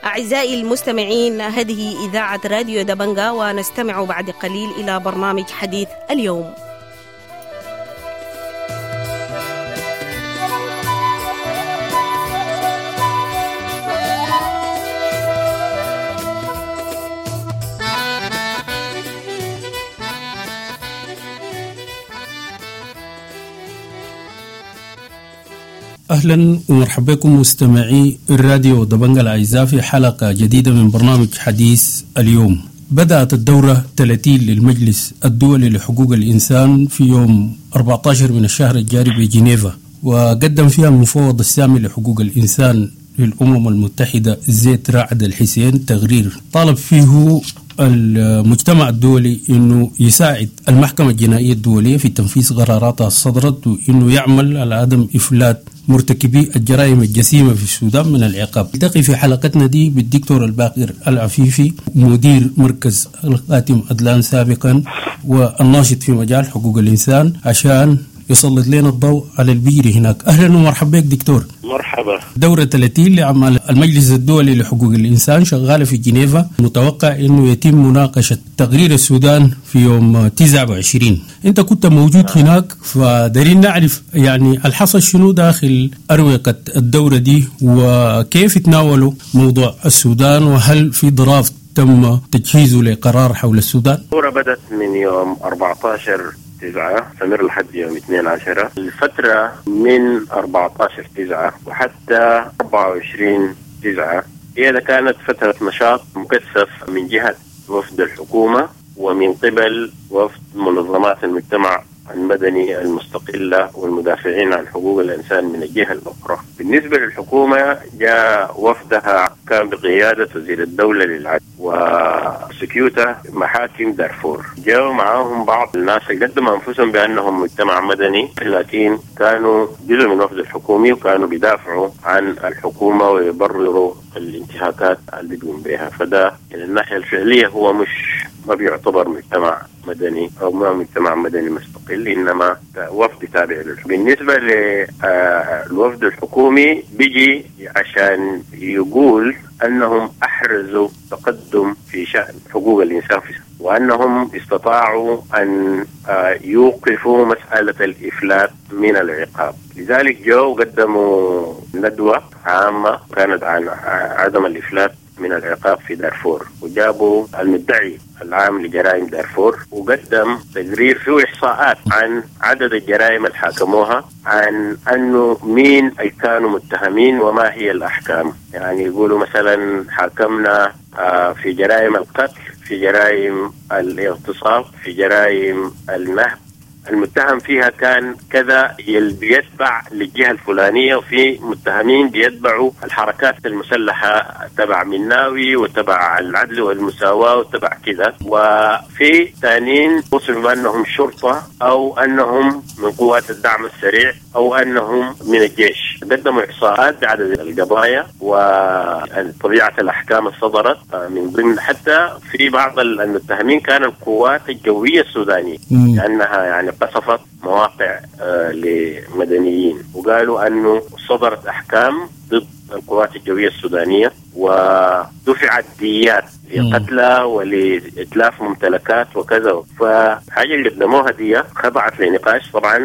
أعزائي المستمعين، هذه إذاعة راديو دبنجا، ونستمع بعد قليل إلى برنامج حديث اليوم. أهلا ومرحبا بكم مستمعي الراديو دبنجا الأعزاء في حلقة جديدة من برنامج حديث اليوم. بدأت الدورة ثلاثين للمجلس الدولي لحقوق الإنسان في يوم أربعة عشر من الشهر الجاري بجنيفا، وقدم فيها المفوض السامي لحقوق الإنسان للأمم المتحدة زيد رعد الحسين تقرير طالب فيه المجتمع الدولي أنه يساعد المحكمة الجنائية الدولية في تنفيذ قراراتها الصدرت، وأنه يعمل على عدم إفلات مرتكبي الجرائم الجسيمة في السودان من العقاب. نلتقي في حلقتنا دي بالدكتور الباقر العفيفي، مدير مركز الخاتم أدلان سابقا والناشط في مجال حقوق الإنسان، عشان يسلط لنا الضوء على البير هناك. أهلا ومرحبا بك دكتور. مرحبا. دورة ثلاثين لأعمال المجلس الدولي لحقوق الإنسان شغالة في جنيفا، متوقع أنه يتم مناقشة تقرير السودان في يوم تسعة وعشرين. أنت كنت موجود آه. هناك، فدارين نعرف يعني الحصل شنو داخل أروقة الدورة دي، وكيف تناولوا موضوع السودان، وهل في draft تم تجهيزه لقرار حول السودان؟ الدورة بدأت من يوم أربعة عشر تسعة، استمر لحد يوم اثنين عشر. الفترة من أربعة عشر تسعة وحتى أربعة وعشرين تسعة هي كانت فترة نشاط مكثف من جهة وفد الحكومة ومن قبل وفد منظمات المجتمع المدني المستقلة والمدافعين عن حقوق الإنسان من الجهة الأخرى. بالنسبة للحكومة جاء وفدها كان بقيادة وزير الدولة للعدل وسكيوتا محاكم دارفور، جاءوا معاهم بعض الناس اللي قدموا أنفسهم بأنهم مجتمع مدني، لكن كانوا جزء من الوفد الحكومي وكانوا بيدافعوا عن الحكومة ويبرروا الانتهاكات اللي بيقوم بها. فده من الناحية الفعلية هو مش ما بيعتبر مجتمع مدني أو ما مجتمع مدني مستقل، إنما وفد تابع للحكومة. بالنسبة للوفد الحكومي بيجي عشان يقول أنهم أحرزوا تقدم في شأن حقوق الإنسان في وأنهم استطاعوا أن يوقفوا مسألة الإفلات من العقاب. لذلك جو قدموا ندوة عامة كانت عن عدم الإفلات من العقاب في دارفور، وجابوا المدعي العام لجرائم دارفور وقدم تقرير فيه إحصاءات عن عدد الجرائم اللي حاكموها، عن أنه مين أي كانوا متهمين وما هي الأحكام. يعني يقولوا مثلا حاكمنا في جرائم القتل، في جرائم الاغتصاب، في جرائم النهب، المتهم فيها كان كذا بيتبع للجهة الفلانية، وفي متهمين بيتبعوا الحركات المسلحة تبع مناوي وتبع العدل والمساواة وتبع كذا، وفي ثانيين وصفوا بأنهم شرطة أو أنهم من قوات الدعم السريع أو أنهم من الجيش. قدموا إحصاءات بعدد القضايا وطبيعة الأحكام الصدرت، من ضمن حتى في بعض المتهمين كان القوات الجوية السودانية لأنها يعني قصفت مواقع لمدنيين، وقالوا أنه صدرت أحكام ضد القوات الجوية السودانية ودفعت ديات لقتلى ولإتلاف ممتلكات وكذا. فحاجة اللي قدموها دي خضعت لنقاش. طبعا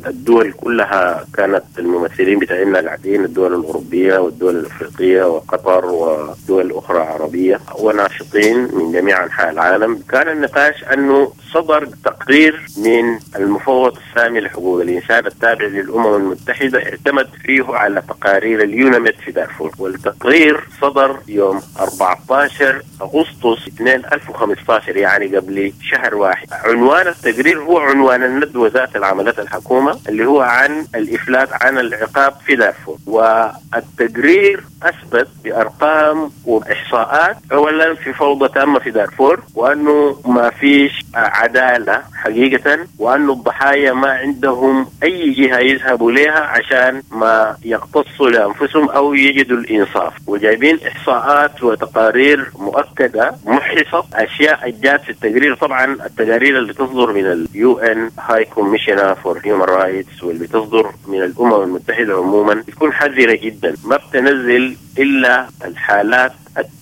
الدول كلها كانت الممثلين بتاعنا قاعدين، الدول الأوروبية والدول الأفريقية وقطر ودول أخرى عربية وناشطين من جميع أنحاء العالم. كان النقاش أنه صدر تقرير من المفوض السامي لحقوق الإنسان التابع للأمم المتحدة اعتمد فيه على تقارير اليوناميد في دارفور، والتقرير صدر يوم أربعة عشر أغسطس ألفين وخمسة عشر، يعني قبل شهر واحد. عنوان التقرير هو عنوان الندوة ذات العملات الحكومة اللي هو عن الإفلات عن العقاب في دارفور. والتقرير أثبت بأرقام وإحصاءات أولا في فوضى تامة في دارفور، وأنه ما فيش عدالة حقيقة، وأنه الضحايا ما عندهم أي جهة يذهبوا لها عشان ما يقتصوا لأنفسهم أو يجدوا الإنصاف. وجايبين إحصاءات وتقارير مؤكدة محصت أشياء جات في التقرير. طبعا التقارير اللي تصدر من ال UN High Commissioner for Human Rights واللي تصدر من الأمم المتحدة عموما بتكون حذرة جدا، ما بتنزل إلا الحالات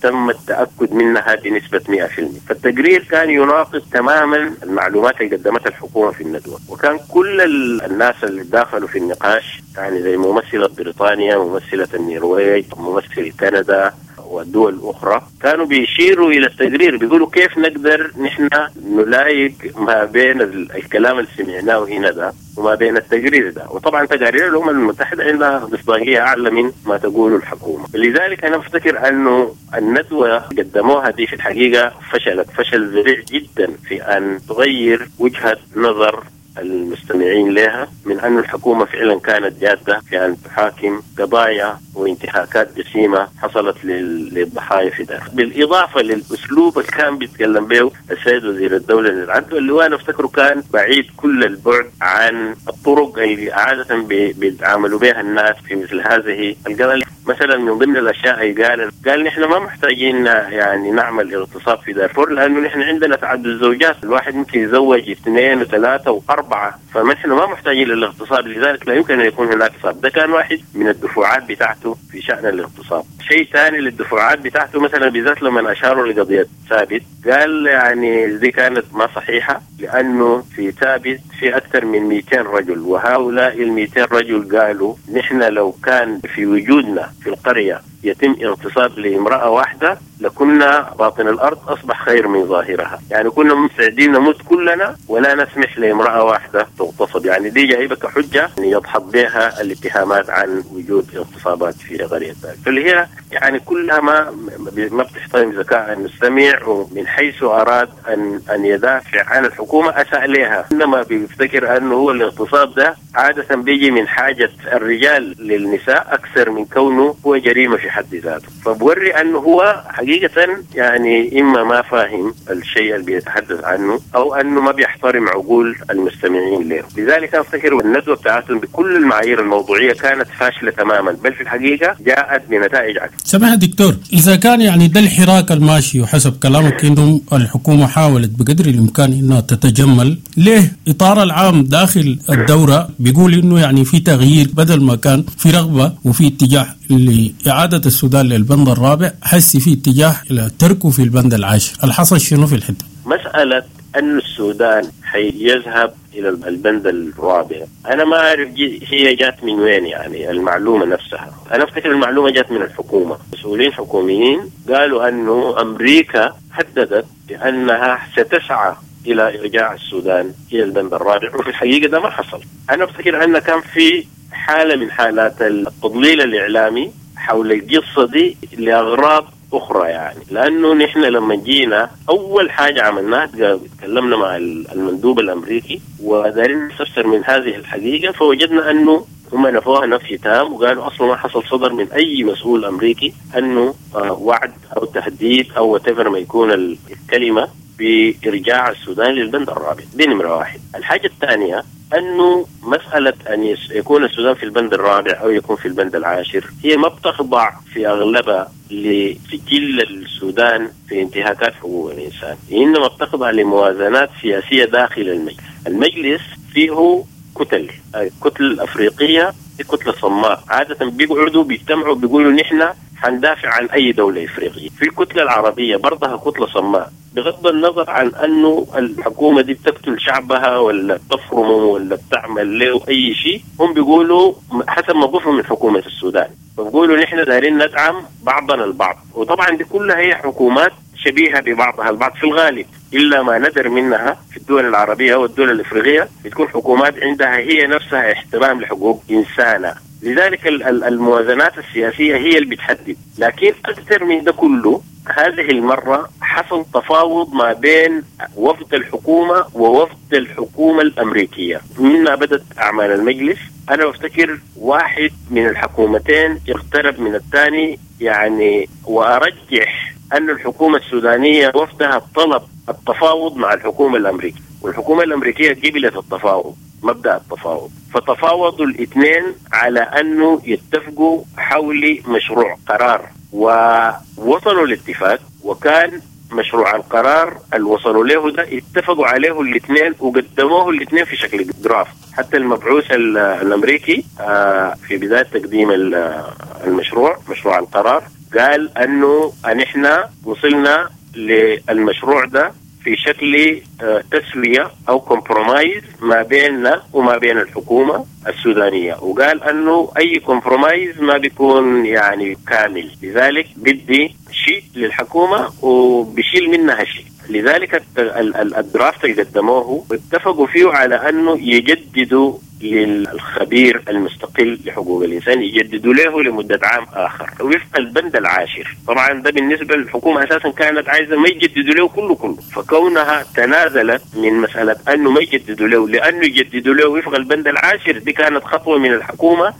تم التأكد منها بنسبة مئة في المئة. فالتقرير كان يناقض تماما المعلومات اللي قدمتها الحكومة في الندوة، وكان كل الناس اللي داخلوا في النقاش يعني زي ممثلة بريطانيا، ممثلة النرويج، ممثل كندا، ودول أخرى كانوا بيشيروا إلى التقرير، بيقولوا كيف نقدر نحن نلايق ما بين الكلام اللي سمعناه هنا ده وما بين التقرير ده. وطبعا تقارير الأمم المتحدة عندها مصداقية أعلى من ما تقوله الحكومة. لذلك أنا أفتكر أنه الندوة قدموها دي في الحقيقة فشلت فشل ذريع جدا في أن تغير وجهة نظر المستمعين لها من أن الحكومة فعلا كانت جادة في أن تحاكم قضايا وانتهاكات جسيمة حصلت للضحايا في دارفور، بالإضافة للأسلوب اللي كان بيتكلم به السيد وزير الدولة للعدل، اللي أنا أفتكره كان بعيد كل البعد عن الطرق اللي عادة بيتعاملوا بها الناس في مثل هذه القضايا. مثلا من ضمن الأشياء قال قال نحن ما محتاجين يعني نعمل اغتصاب في دارفور، لأنه نحن عندنا تعدد الزوجات، الواحد ممكن يتزوج اثنين وثلاثة وأربعة، فنحن ما محتاجين للاغتصاب، لذلك لا يمكن أن يكون هناك اغتصاب. ده كان واحد من الدفوعات بتاعته في شأن الاغتصاب. شيء ثاني للدفوعات بتاعته مثلا بالذات لما أشاروا لقضية ثابت، قال يعني دي كانت ما صحيحة، لأنه في ثابت في أكثر من مئتين رجل، وهؤلاء المئتين رجل قالوا نحن لو كان في وجودنا في القرية يتم اغتصاب لامرأة واحدة لكنا باطن الأرض أصبح خير من ظاهرها، يعني كنا مستعدين نموت كلنا ولا نسمح لامرأة واحدة تغتصب. يعني دي جايبة كحجة يضحط بها الاتهامات عن وجود اغتصابات في قرية ثابت، فاللي هي يعني كلها ما ما بتحترم ذكاء المستمع، ومن حيث أراد أن أن يدافع عن الحكومة أساء لها، إنما بيفتكر أنه هو الاغتصاب ده عادة بيجي من حاجة الرجال للنساء أكثر من كونه هو جريمة في حد ذاته. فبوري أنه هو حقيقة يعني إما ما فاهم الشيء اللي بيتحدث عنه أو أنه ما بيحترم عقول المستمعين له. لذلك أفتكر الندوة بتاعتهم بكل المعايير الموضوعية كانت فاشلة تماما، بل في الحقيقة جاءت بنتائج عكس. سماحة دكتور، إذا كان يعني ده الحراك الماشي وحسب كلامك إنه الحكومة حاولت بقدر الإمكان إنها تتجمل، ليه إطار العام داخل الدورة بيقول إنه يعني في تغيير، بدل ما كان في رغبة وفي اتجاه لإعادة السودان للبند الرابع، حس في اتجاه إلى تركه في البند العاشر. الحصل شنو في الحتة؟ مسألة أن السودان حيذهب إلى البند الرابع أنا ما أعرف هي جات من وين، يعني المعلومة نفسها. أنا أفتكر المعلومة جات من الحكومة، مسؤولين حكوميين قالوا أنه أمريكا هددت بأنها ستسعى إلى إرجاع السودان إلى البند الرابع، وفي الحقيقة ده ما حصل. أنا أفتكر أن كان في حالة من حالات التضليل الإعلامي حول القصة دي لأغراض أخرى، يعني لأنه نحن لما جينا أول حاجة عملناها تكلمنا مع المندوب الأمريكي ودارين نستفسر من هذه الحقيقة، فوجدنا أنه هم نفوها نفي تام وقالوا أصلا ما حصل صدر من أي مسؤول أمريكي أنه وعد أو تهديد أو whatever ما يكون الكلمة بإرجاع السودان للبند الرابع. دي نمرة واحد. الحاجة الثانية أنه مسألة أن يكون السودان في البند الرابع أو يكون في البند العاشر هي ما بتخضع في أغلبها لسجل السودان في انتهاكات حقوق الإنسان، إنما بتخضع لموازنات سياسية داخل المجلس. المجلس فيه كتل، الكتل الأفريقية كتلة صماء عادة بيقعدوا بيجتمعوا بيقولوا نحن حندافع عن أي دولة إفريقية. في الكتلة العربية برضها كتلة صماء، بغض النظر عن أنه الحكومة دي بتقتل شعبها ولا بتفرمه ولا بتعمل له أي شيء، هم بيقولوا حسب موقفهم من حكومة السودان، فبيقولوا نحن دايرين ندعم بعضنا البعض. وطبعا دي كلها هي حكومات شبيهة ببعضها البعض في الغالب، إلا ما ندر منها في الدول العربية والدول الإفريقية بتكون حكومات عندها هي نفسها احترام لحقوق إنسانة. لذلك الموازنات السياسية هي اللي بتحدد. لكن أكثر من ده كله هذه المرة حصل تفاوض ما بين وفد الحكومة ووفد الحكومة الأمريكية. مما بدأت أعمال المجلس أنا بفتكر واحد من الحكومتين اقترب من الثاني، يعني وأرجح أن الحكومة السودانية وفدها طلب التفاوض مع الحكومة الأمريكية، والحكومة الأمريكية قبلت التفاوض، مبدأ التفاوض. فتفاوضوا الاثنين على أنه يتفقوا حول مشروع قرار، ووصلوا لاتفاق. وكان مشروع القرار اللي وصلوا له ده اتفقوا عليه الاثنين وقدموه الاثنين في شكل درافت. حتى المبعوث الأمريكي في بداية تقديم المشروع مشروع القرار قال أنه نحن وصلنا للمشروع ده في شكل تسوية أو compromise ما بيننا وما بين الحكومة السودانية، وقال أنه أي compromise ما بيكون يعني كامل، لذلك بدي شيء للحكومة وبشيل منها شيء. لذلك ال draft اللي قدموه اتفقوا فيه على أنه يجددوا للخبير المستقل لحقوق الإنسان، يجددوا له لمدة عام آخر وفق البند العاشر. طبعا ده بالنسبة للحكومة أساسا كانت عايزة ما يجددوا له كله كله، فكونها تنازلت من مسألة أنه ما يجددوا له لأنه يجددوا له وفق البند العاشر، دي كانت خطوة من الحكومة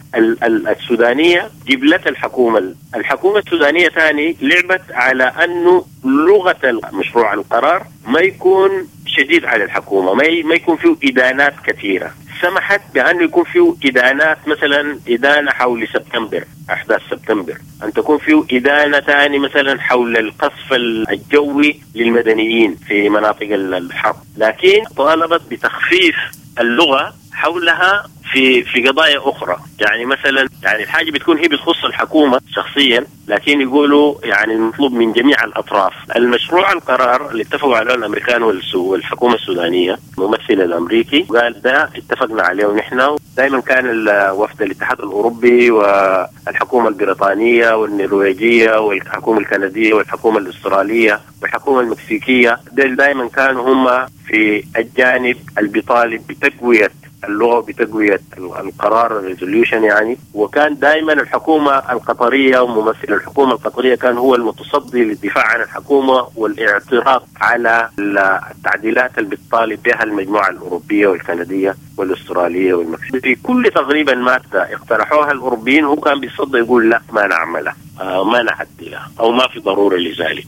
السودانية جبلت الحكومة. الحكومة السودانية ثاني لعبت على أنه لغة مشروع القرار ما يكون شديد على الحكومة، ما يكون فيه إدانات كثيرة. سمحت بأنه يكون فيه إدانات، مثلا إدانة حول سبتمبر، أحداث سبتمبر، أن تكون فيه إدانة ثاني مثلا حول القصف الجوي للمدنيين في مناطق الحرب، لكن طالبت بتخفيف اللغة حولها في في قضايا أخرى. يعني مثلا يعني الحاجة بتكون هي بتخص الحكومة شخصيا، لكن يقولوا يعني المطلوب من جميع الأطراف. المشروع القرار اللي اتفقوا عليه الأمريكان والحكومة السودانية، الممثل الأمريكي قال ده اتفقنا عليه ونحن دائما كان وفد الاتحاد الأوروبي والحكومة البريطانية والنرويجية والحكومة الكندية والحكومة الأسترالية والحكومة المكسيكية، دائما كانوا هم في الجانب اللي بيطالب بتقوية اللغة بتقوية القرار ال resolution يعني. وكان دائما الحكومة القطرية وممثل الحكومة القطرية كان هو المتصدي للدفاع عن الحكومة والاعتراض على التعديلات اللي بتطالب بها المجموعة الأوروبية والكندية والأسترالية والمكسيكية. في كل تقريبا مادة اقترحوها الأوروبيين هو كان بيصدي يقول لا ما نعملها، ما نعدلها، أو ما في ضرورة لذلك.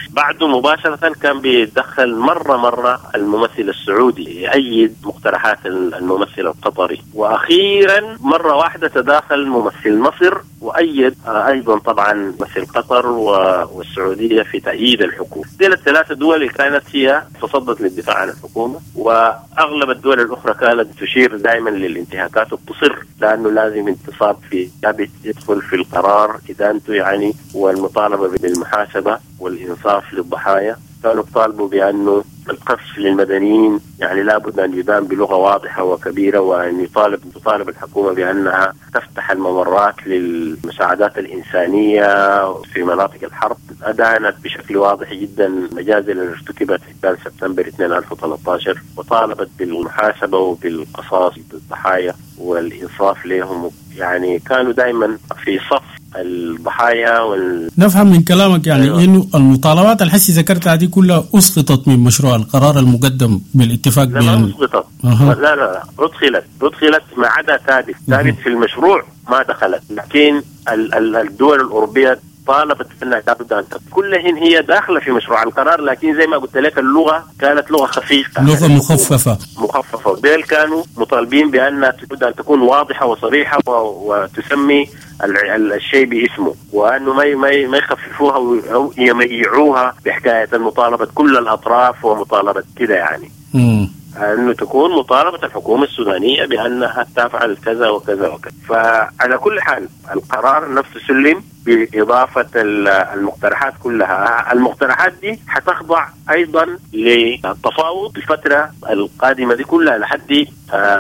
بعده مباشرة كان بيتدخل مرة مرة الممثل السعودي يأيد مقترحات الممثل القطري، وأخيرا مرة واحدة تداخل ممثل مصر وأيد أيضا طبعا ممثل قطر والسعودية في تأييد الحكومة. دي الثلاثة دول اللي كانت هي تصدت للدفاع عن الحكومة، وأغلب الدول الأخرى كانت تشير دائما للانتهاكات وتصر لأنه لازم انتصاب في ثابت يدخل في القرار إدانته يعني، والمطالبة بالمحاسبة والإنصاف للضحايا. كانوا طالبوا بأنه القصف للمدنيين يعني لابد أن يدان بلغة واضحة وكبيرة، وأن يطالب تطالب الحكومة بأنها تفتح الممرات للمساعدات الإنسانية في مناطق الحرب. أدانت بشكل واضح جدا المجازر اللي ارتكبت في سبتمبر ألفين وثلاثة عشر، وطالبت بالمحاسبة وبالقصاص للضحايا والإنصاف لهم. يعني كانوا دائما في صف الضحايا وال... نفهم من كلامك يعني أيوة. إنه المطالبات الحسي ذكرتها دي كلها أسقطت من مشروع القرار المقدم بالاتفاق. لا ما أسقطت، أه. لا لا لا أدخلت أدخلت ما عدا ثابت ثابت أه. في المشروع ما دخلت، لكن ال- ال- الدول الأوروبية طالبت أنها لابد أن كلهن هي داخلة في مشروع القرار، لكن زي ما قلت لك اللغة كانت لغة خفيفة، لغة يعني مخففة مخففة وديل كانوا مطالبين بأن لابد أن تكون واضحة وصريحة وتسمي الشيء باسمه، وأنه ما ما ما يخففوها أو يميعوها بحكاية المطالبة كل الأطراف ومطالبة كده يعني. مم. أنه تكون مطالبة الحكومة السودانية بأنها تفعل كذا وكذا وكذا. فعلى كل حال القرار نفسه سلم بإضافة المقترحات كلها. المقترحات دي حتخضع أيضا للتفاوض الفترة القادمة دي كلها لحد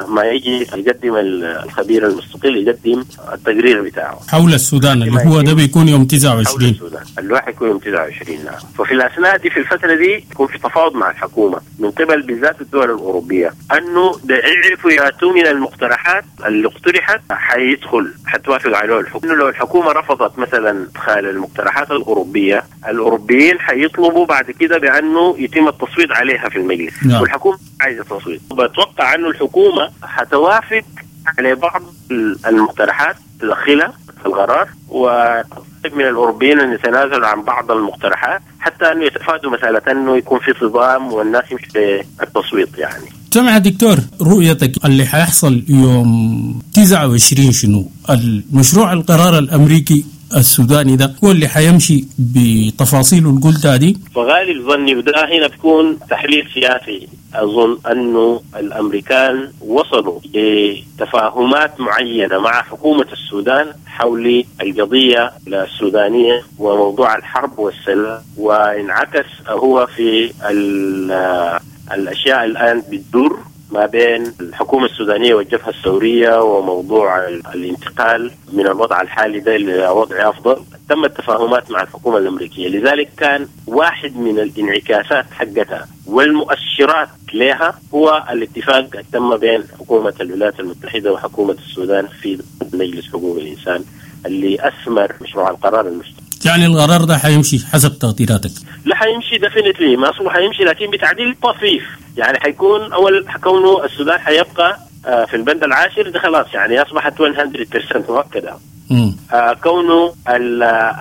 ما يجي يقدم الخبير المستقل يقدم التقرير بتاعه حول السودان اللي هو ده بيكون يوم تسعة وعشرين. حول السودان اللي هو يكون يوم تسعة وعشرين. نعم. ففي الأثناء دي في الفترة دي يكون في تفاوض مع الحكومة من قبل بالذات الدول الأوروبية أنه يعرفوا يأتوا من المقترحات اللي اقترحت حيدخل حتوافق عليه الحكومة. لو الحكومة رفضت مثلا إدخال المقترحات الأوروبية، الأوروبيين حيطلبوا بعد كده بأنه يتم التصويت عليها في المجلس. نعم. والحكومة عايزة تصويت. بتوقع أنه الحكومة حتوافق على بعض المقترحات تدخلها في القرار، وتطلب من الأوروبيين أن يتنازلوا عن بعض المقترحات حتى أنه يتفادوا مسألة أنه يكون في صدام والناس يمشي بالتصويت يعني. سمع دكتور، رؤيتك اللي حيحصل يوم تسعة وعشرين شنو؟ المشروع القرار الأمريكي السوداني ده هو اللي حيمشي بتفاصيله اللي قلتها دي؟ فغالب ظني وده هنا بيكون تحليل سياسي، أظن أنه الأمريكان وصلوا لتفاهمات معينة مع حكومة السودان حول القضية السودانية وموضوع الحرب والسلام، وانعكس هو في الأشياء الآن بتدور ما بين الحكومة السودانية والجبهة الثورية وموضوع الانتقال من الوضع الحالي ده إلى وضع أفضل. تم التفاهمات مع الحكومة الأمريكية، لذلك كان واحد من الانعكاسات حقتها والمؤشرات لها هو الاتفاق تم بين حكومة الولايات المتحدة وحكومة السودان في مجلس حقوق الإنسان اللي أثمر مشروع القرار المشترك. يعني القرار ده حيمشي حسب تقديراتك؟ لا حيمشي definitely، ما أصله حيمشي، لكن بتعديل طفيف. يعني حيكون أول كونه السودان حيبقى في البند العاشر ده خلاص، يعني أصبحت مية بالمية مؤكدة. آه كونه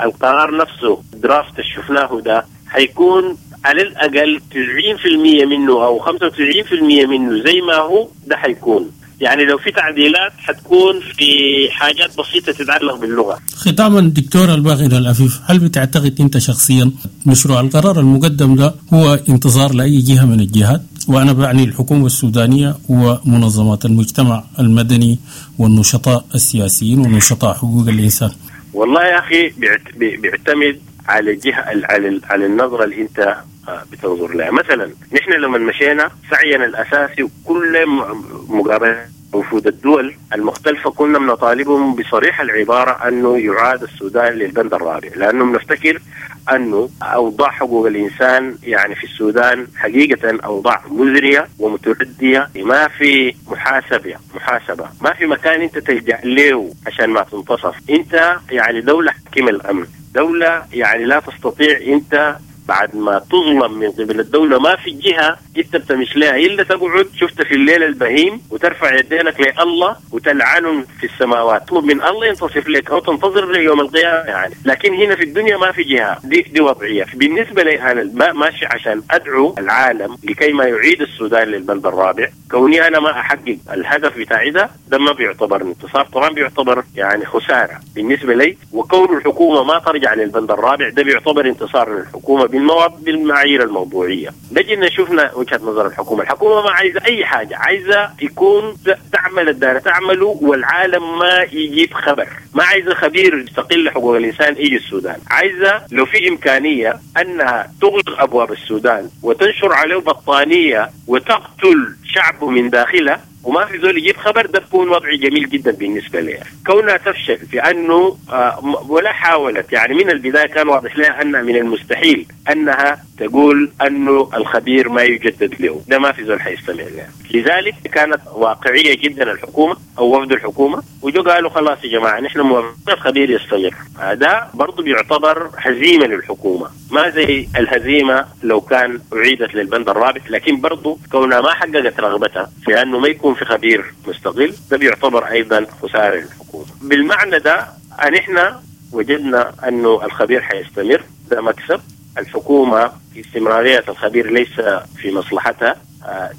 القرار نفسه draft اللي شفناه ده حيكون على الأقل تسعين بالمية منه أو خمسة وتسعين بالمية منه زي ما هو ده حيكون. يعني لو في تعديلات حتكون في حاجات بسيطة تتعلق باللغة. ختاما دكتور الباقر العفيف، هل بتعتقد أنت شخصيا مشروع القرار المقدم ده هو انتصار لأي جهة من الجهات؟ وأنا بعني الحكومة السودانية ومنظمات المجتمع المدني والنشطاء السياسيين ونشطاء حقوق الإنسان. والله يا أخي بيعتمد على الجهة، على على النظرة اللي أنت بتنظر لها. مثلا نحن لما مشينا سعينا الأساسي وكل مقابلة وفود الدول المختلفة كنا بنطالبهم بصريح العبارة أنه يعاد السودان للبند الرابع، لأنه بنفتكر أنه أوضاع حقوق الإنسان يعني في السودان حقيقة أوضاع مزرية ومتردية، ما في محاسبة محاسبة ما في مكان أنت تلجأ له عشان ما تنتصف. أنت يعني دولة حكيم الأمن، دولة يعني لا تستطيع أنت بعد ما تظلم من قبل الدولة ما في جهة انت بتمش لها إلا تقعد شفت في الليل البهيم وترفع يدينك لله وتلعنهم في السماوات، تطلب من الله ينتصف لك أو تنتظر ليوم القيامة يعني. لكن هنا في الدنيا ما في جهة، دي, دي وضعية. بالنسبة لي أنا ما ماشي عشان أدعو العالم لكي ما يعيد السودان للبند الرابع. كوني أنا ما أحقق الهدف بتاعي ده ده ما بيعتبر انتصار، طبعا بيعتبر يعني خسارة بالنسبة لي. وكون الحكومة ما ترجع للبند الرابع ده بيعتبر انتصار للحكومة بالمعايير الموضوعية. نجي نشوفنا وجهة نظر الحكومة. الحكومة ما عايزة أي حاجة، عايزة يكون تعمل الدارة تعمله والعالم ما يجيب خبر، ما عايزة خبير يستقل لحقوق الإنسان يجي السودان، عايزة لو في إمكانية أنها تغلق أبواب السودان وتنشر عليه بطانية وتقتل شعبه من داخله وما في زول يجيب خبر، ده بيكون وضع جميل جدا بالنسبة لها. كونها تفشل في أنه ولا حاولت، يعني من البداية كان واضح لها أن من المستحيل أنها تقول أنه الخبير ما يجدد له، ده ما في زول حيستمع لها. لذلك كانت واقعية جدا الحكومة أو وفد الحكومة، وجو قالوا خلاص يا جماعة نحن موافقين الخبير يستمر. هذا برضو بيعتبر هزيمة للحكومة، ما زي الهزيمة لو كان أعيدت للبند الرابع، لكن برضو كونها ما حققت رغبتها في أنه ما يكون في خبير مستقل ده بيعتبر أيضا خسارة للحكومة. بالمعنى ده نحن وجدنا أنه الخبير حيستمر، ده مكسب. الحكومة استمرارية الخبير ليس في مصلحتها،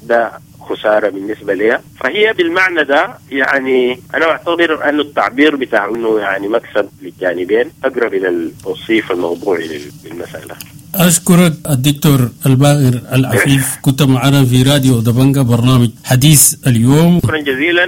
ده خسارة بالنسبة لها. فهي بالمعنى ده يعني أنا أعتبر أن التعبير بتاع أنه يعني مكسب للجانبين أقرب إلى التوصيف الموضوعي للمسألة. أشكرك الدكتور الباقر العفيف، كنت معنا في راديو دبنجة برنامج حديث اليوم. شكرا جزيلا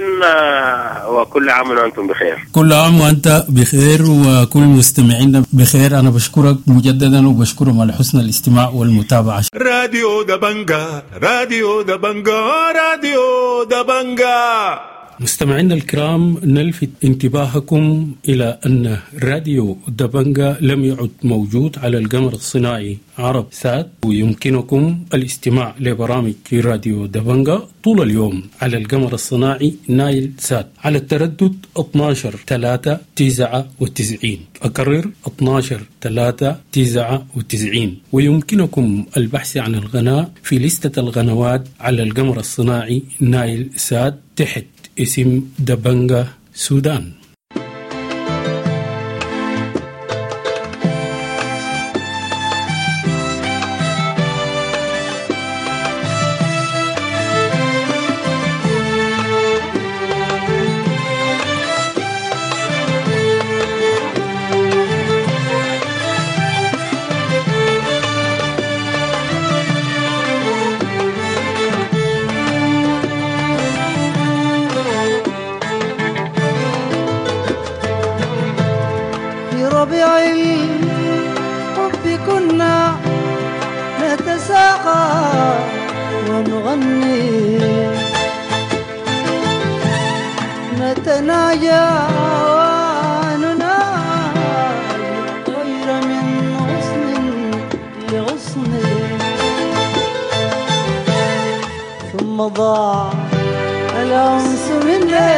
وكل عام وأنتم بخير. كل عام وأنت بخير وكل مستمعينا بخير. أنا بشكرك مجددا وبشكرهم على حسن الاستماع والمتابعة. راديو دبنجة، راديو دبنجة، راديو دبنجة. مستمعينا الكرام، نلفت انتباهكم إلى أن راديو دبنجة لم يعد موجود على القمر الصناعي عرب سات، ويمكنكم الاستماع لبرامج راديو دبنجة طول اليوم على القمر الصناعي نايل سات على التردد اثنا عشر ثلاثة تسعة وتسعين. أكرر اثنا عشر ثلاثة تسعة وتسعين. ويمكنكم البحث عن القناة في لستة القنوات على القمر الصناعي نايل سات تحت اسم دبنجة سودان. نغني نتناجى ونناجي الطير من غصن لغصن ثم ضاع الأنس مني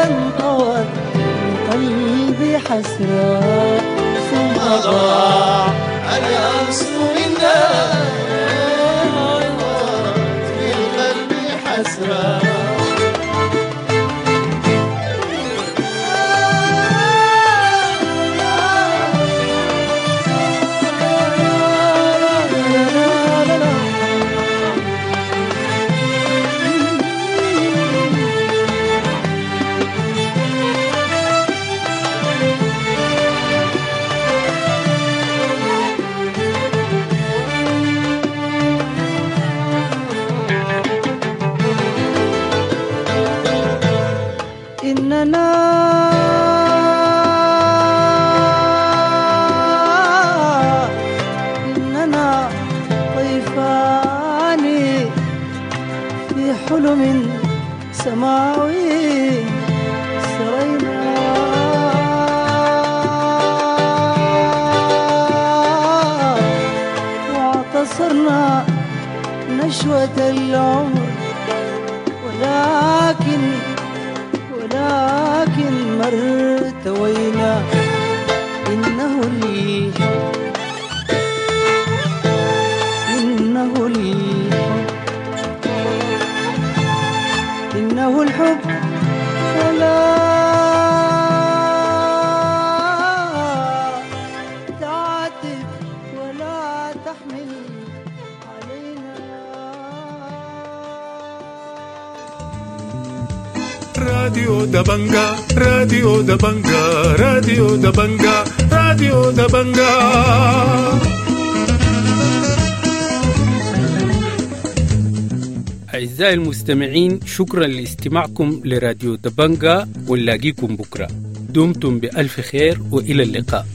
انطوت من قلبي حسرة ثم ضاع الأنس منا انطوت من قلبي حسرة. إننا إننا طيفان في حلم سماوي سرينا واعتصرنا نشوة العمر ولكن ولكن ما ارتوينا. إنه الحب إنه الحب إنه الحب فلا تعتب ولا تحمل علينا. راديو دبنجا راديو دبنجا راديو دبنجا راديو دبنجا. أعزائي المستمعين، شكرا لاستماعكم لراديو دبنجا، ونلاقيكم بكرة. دمتم بألف خير وإلى اللقاء.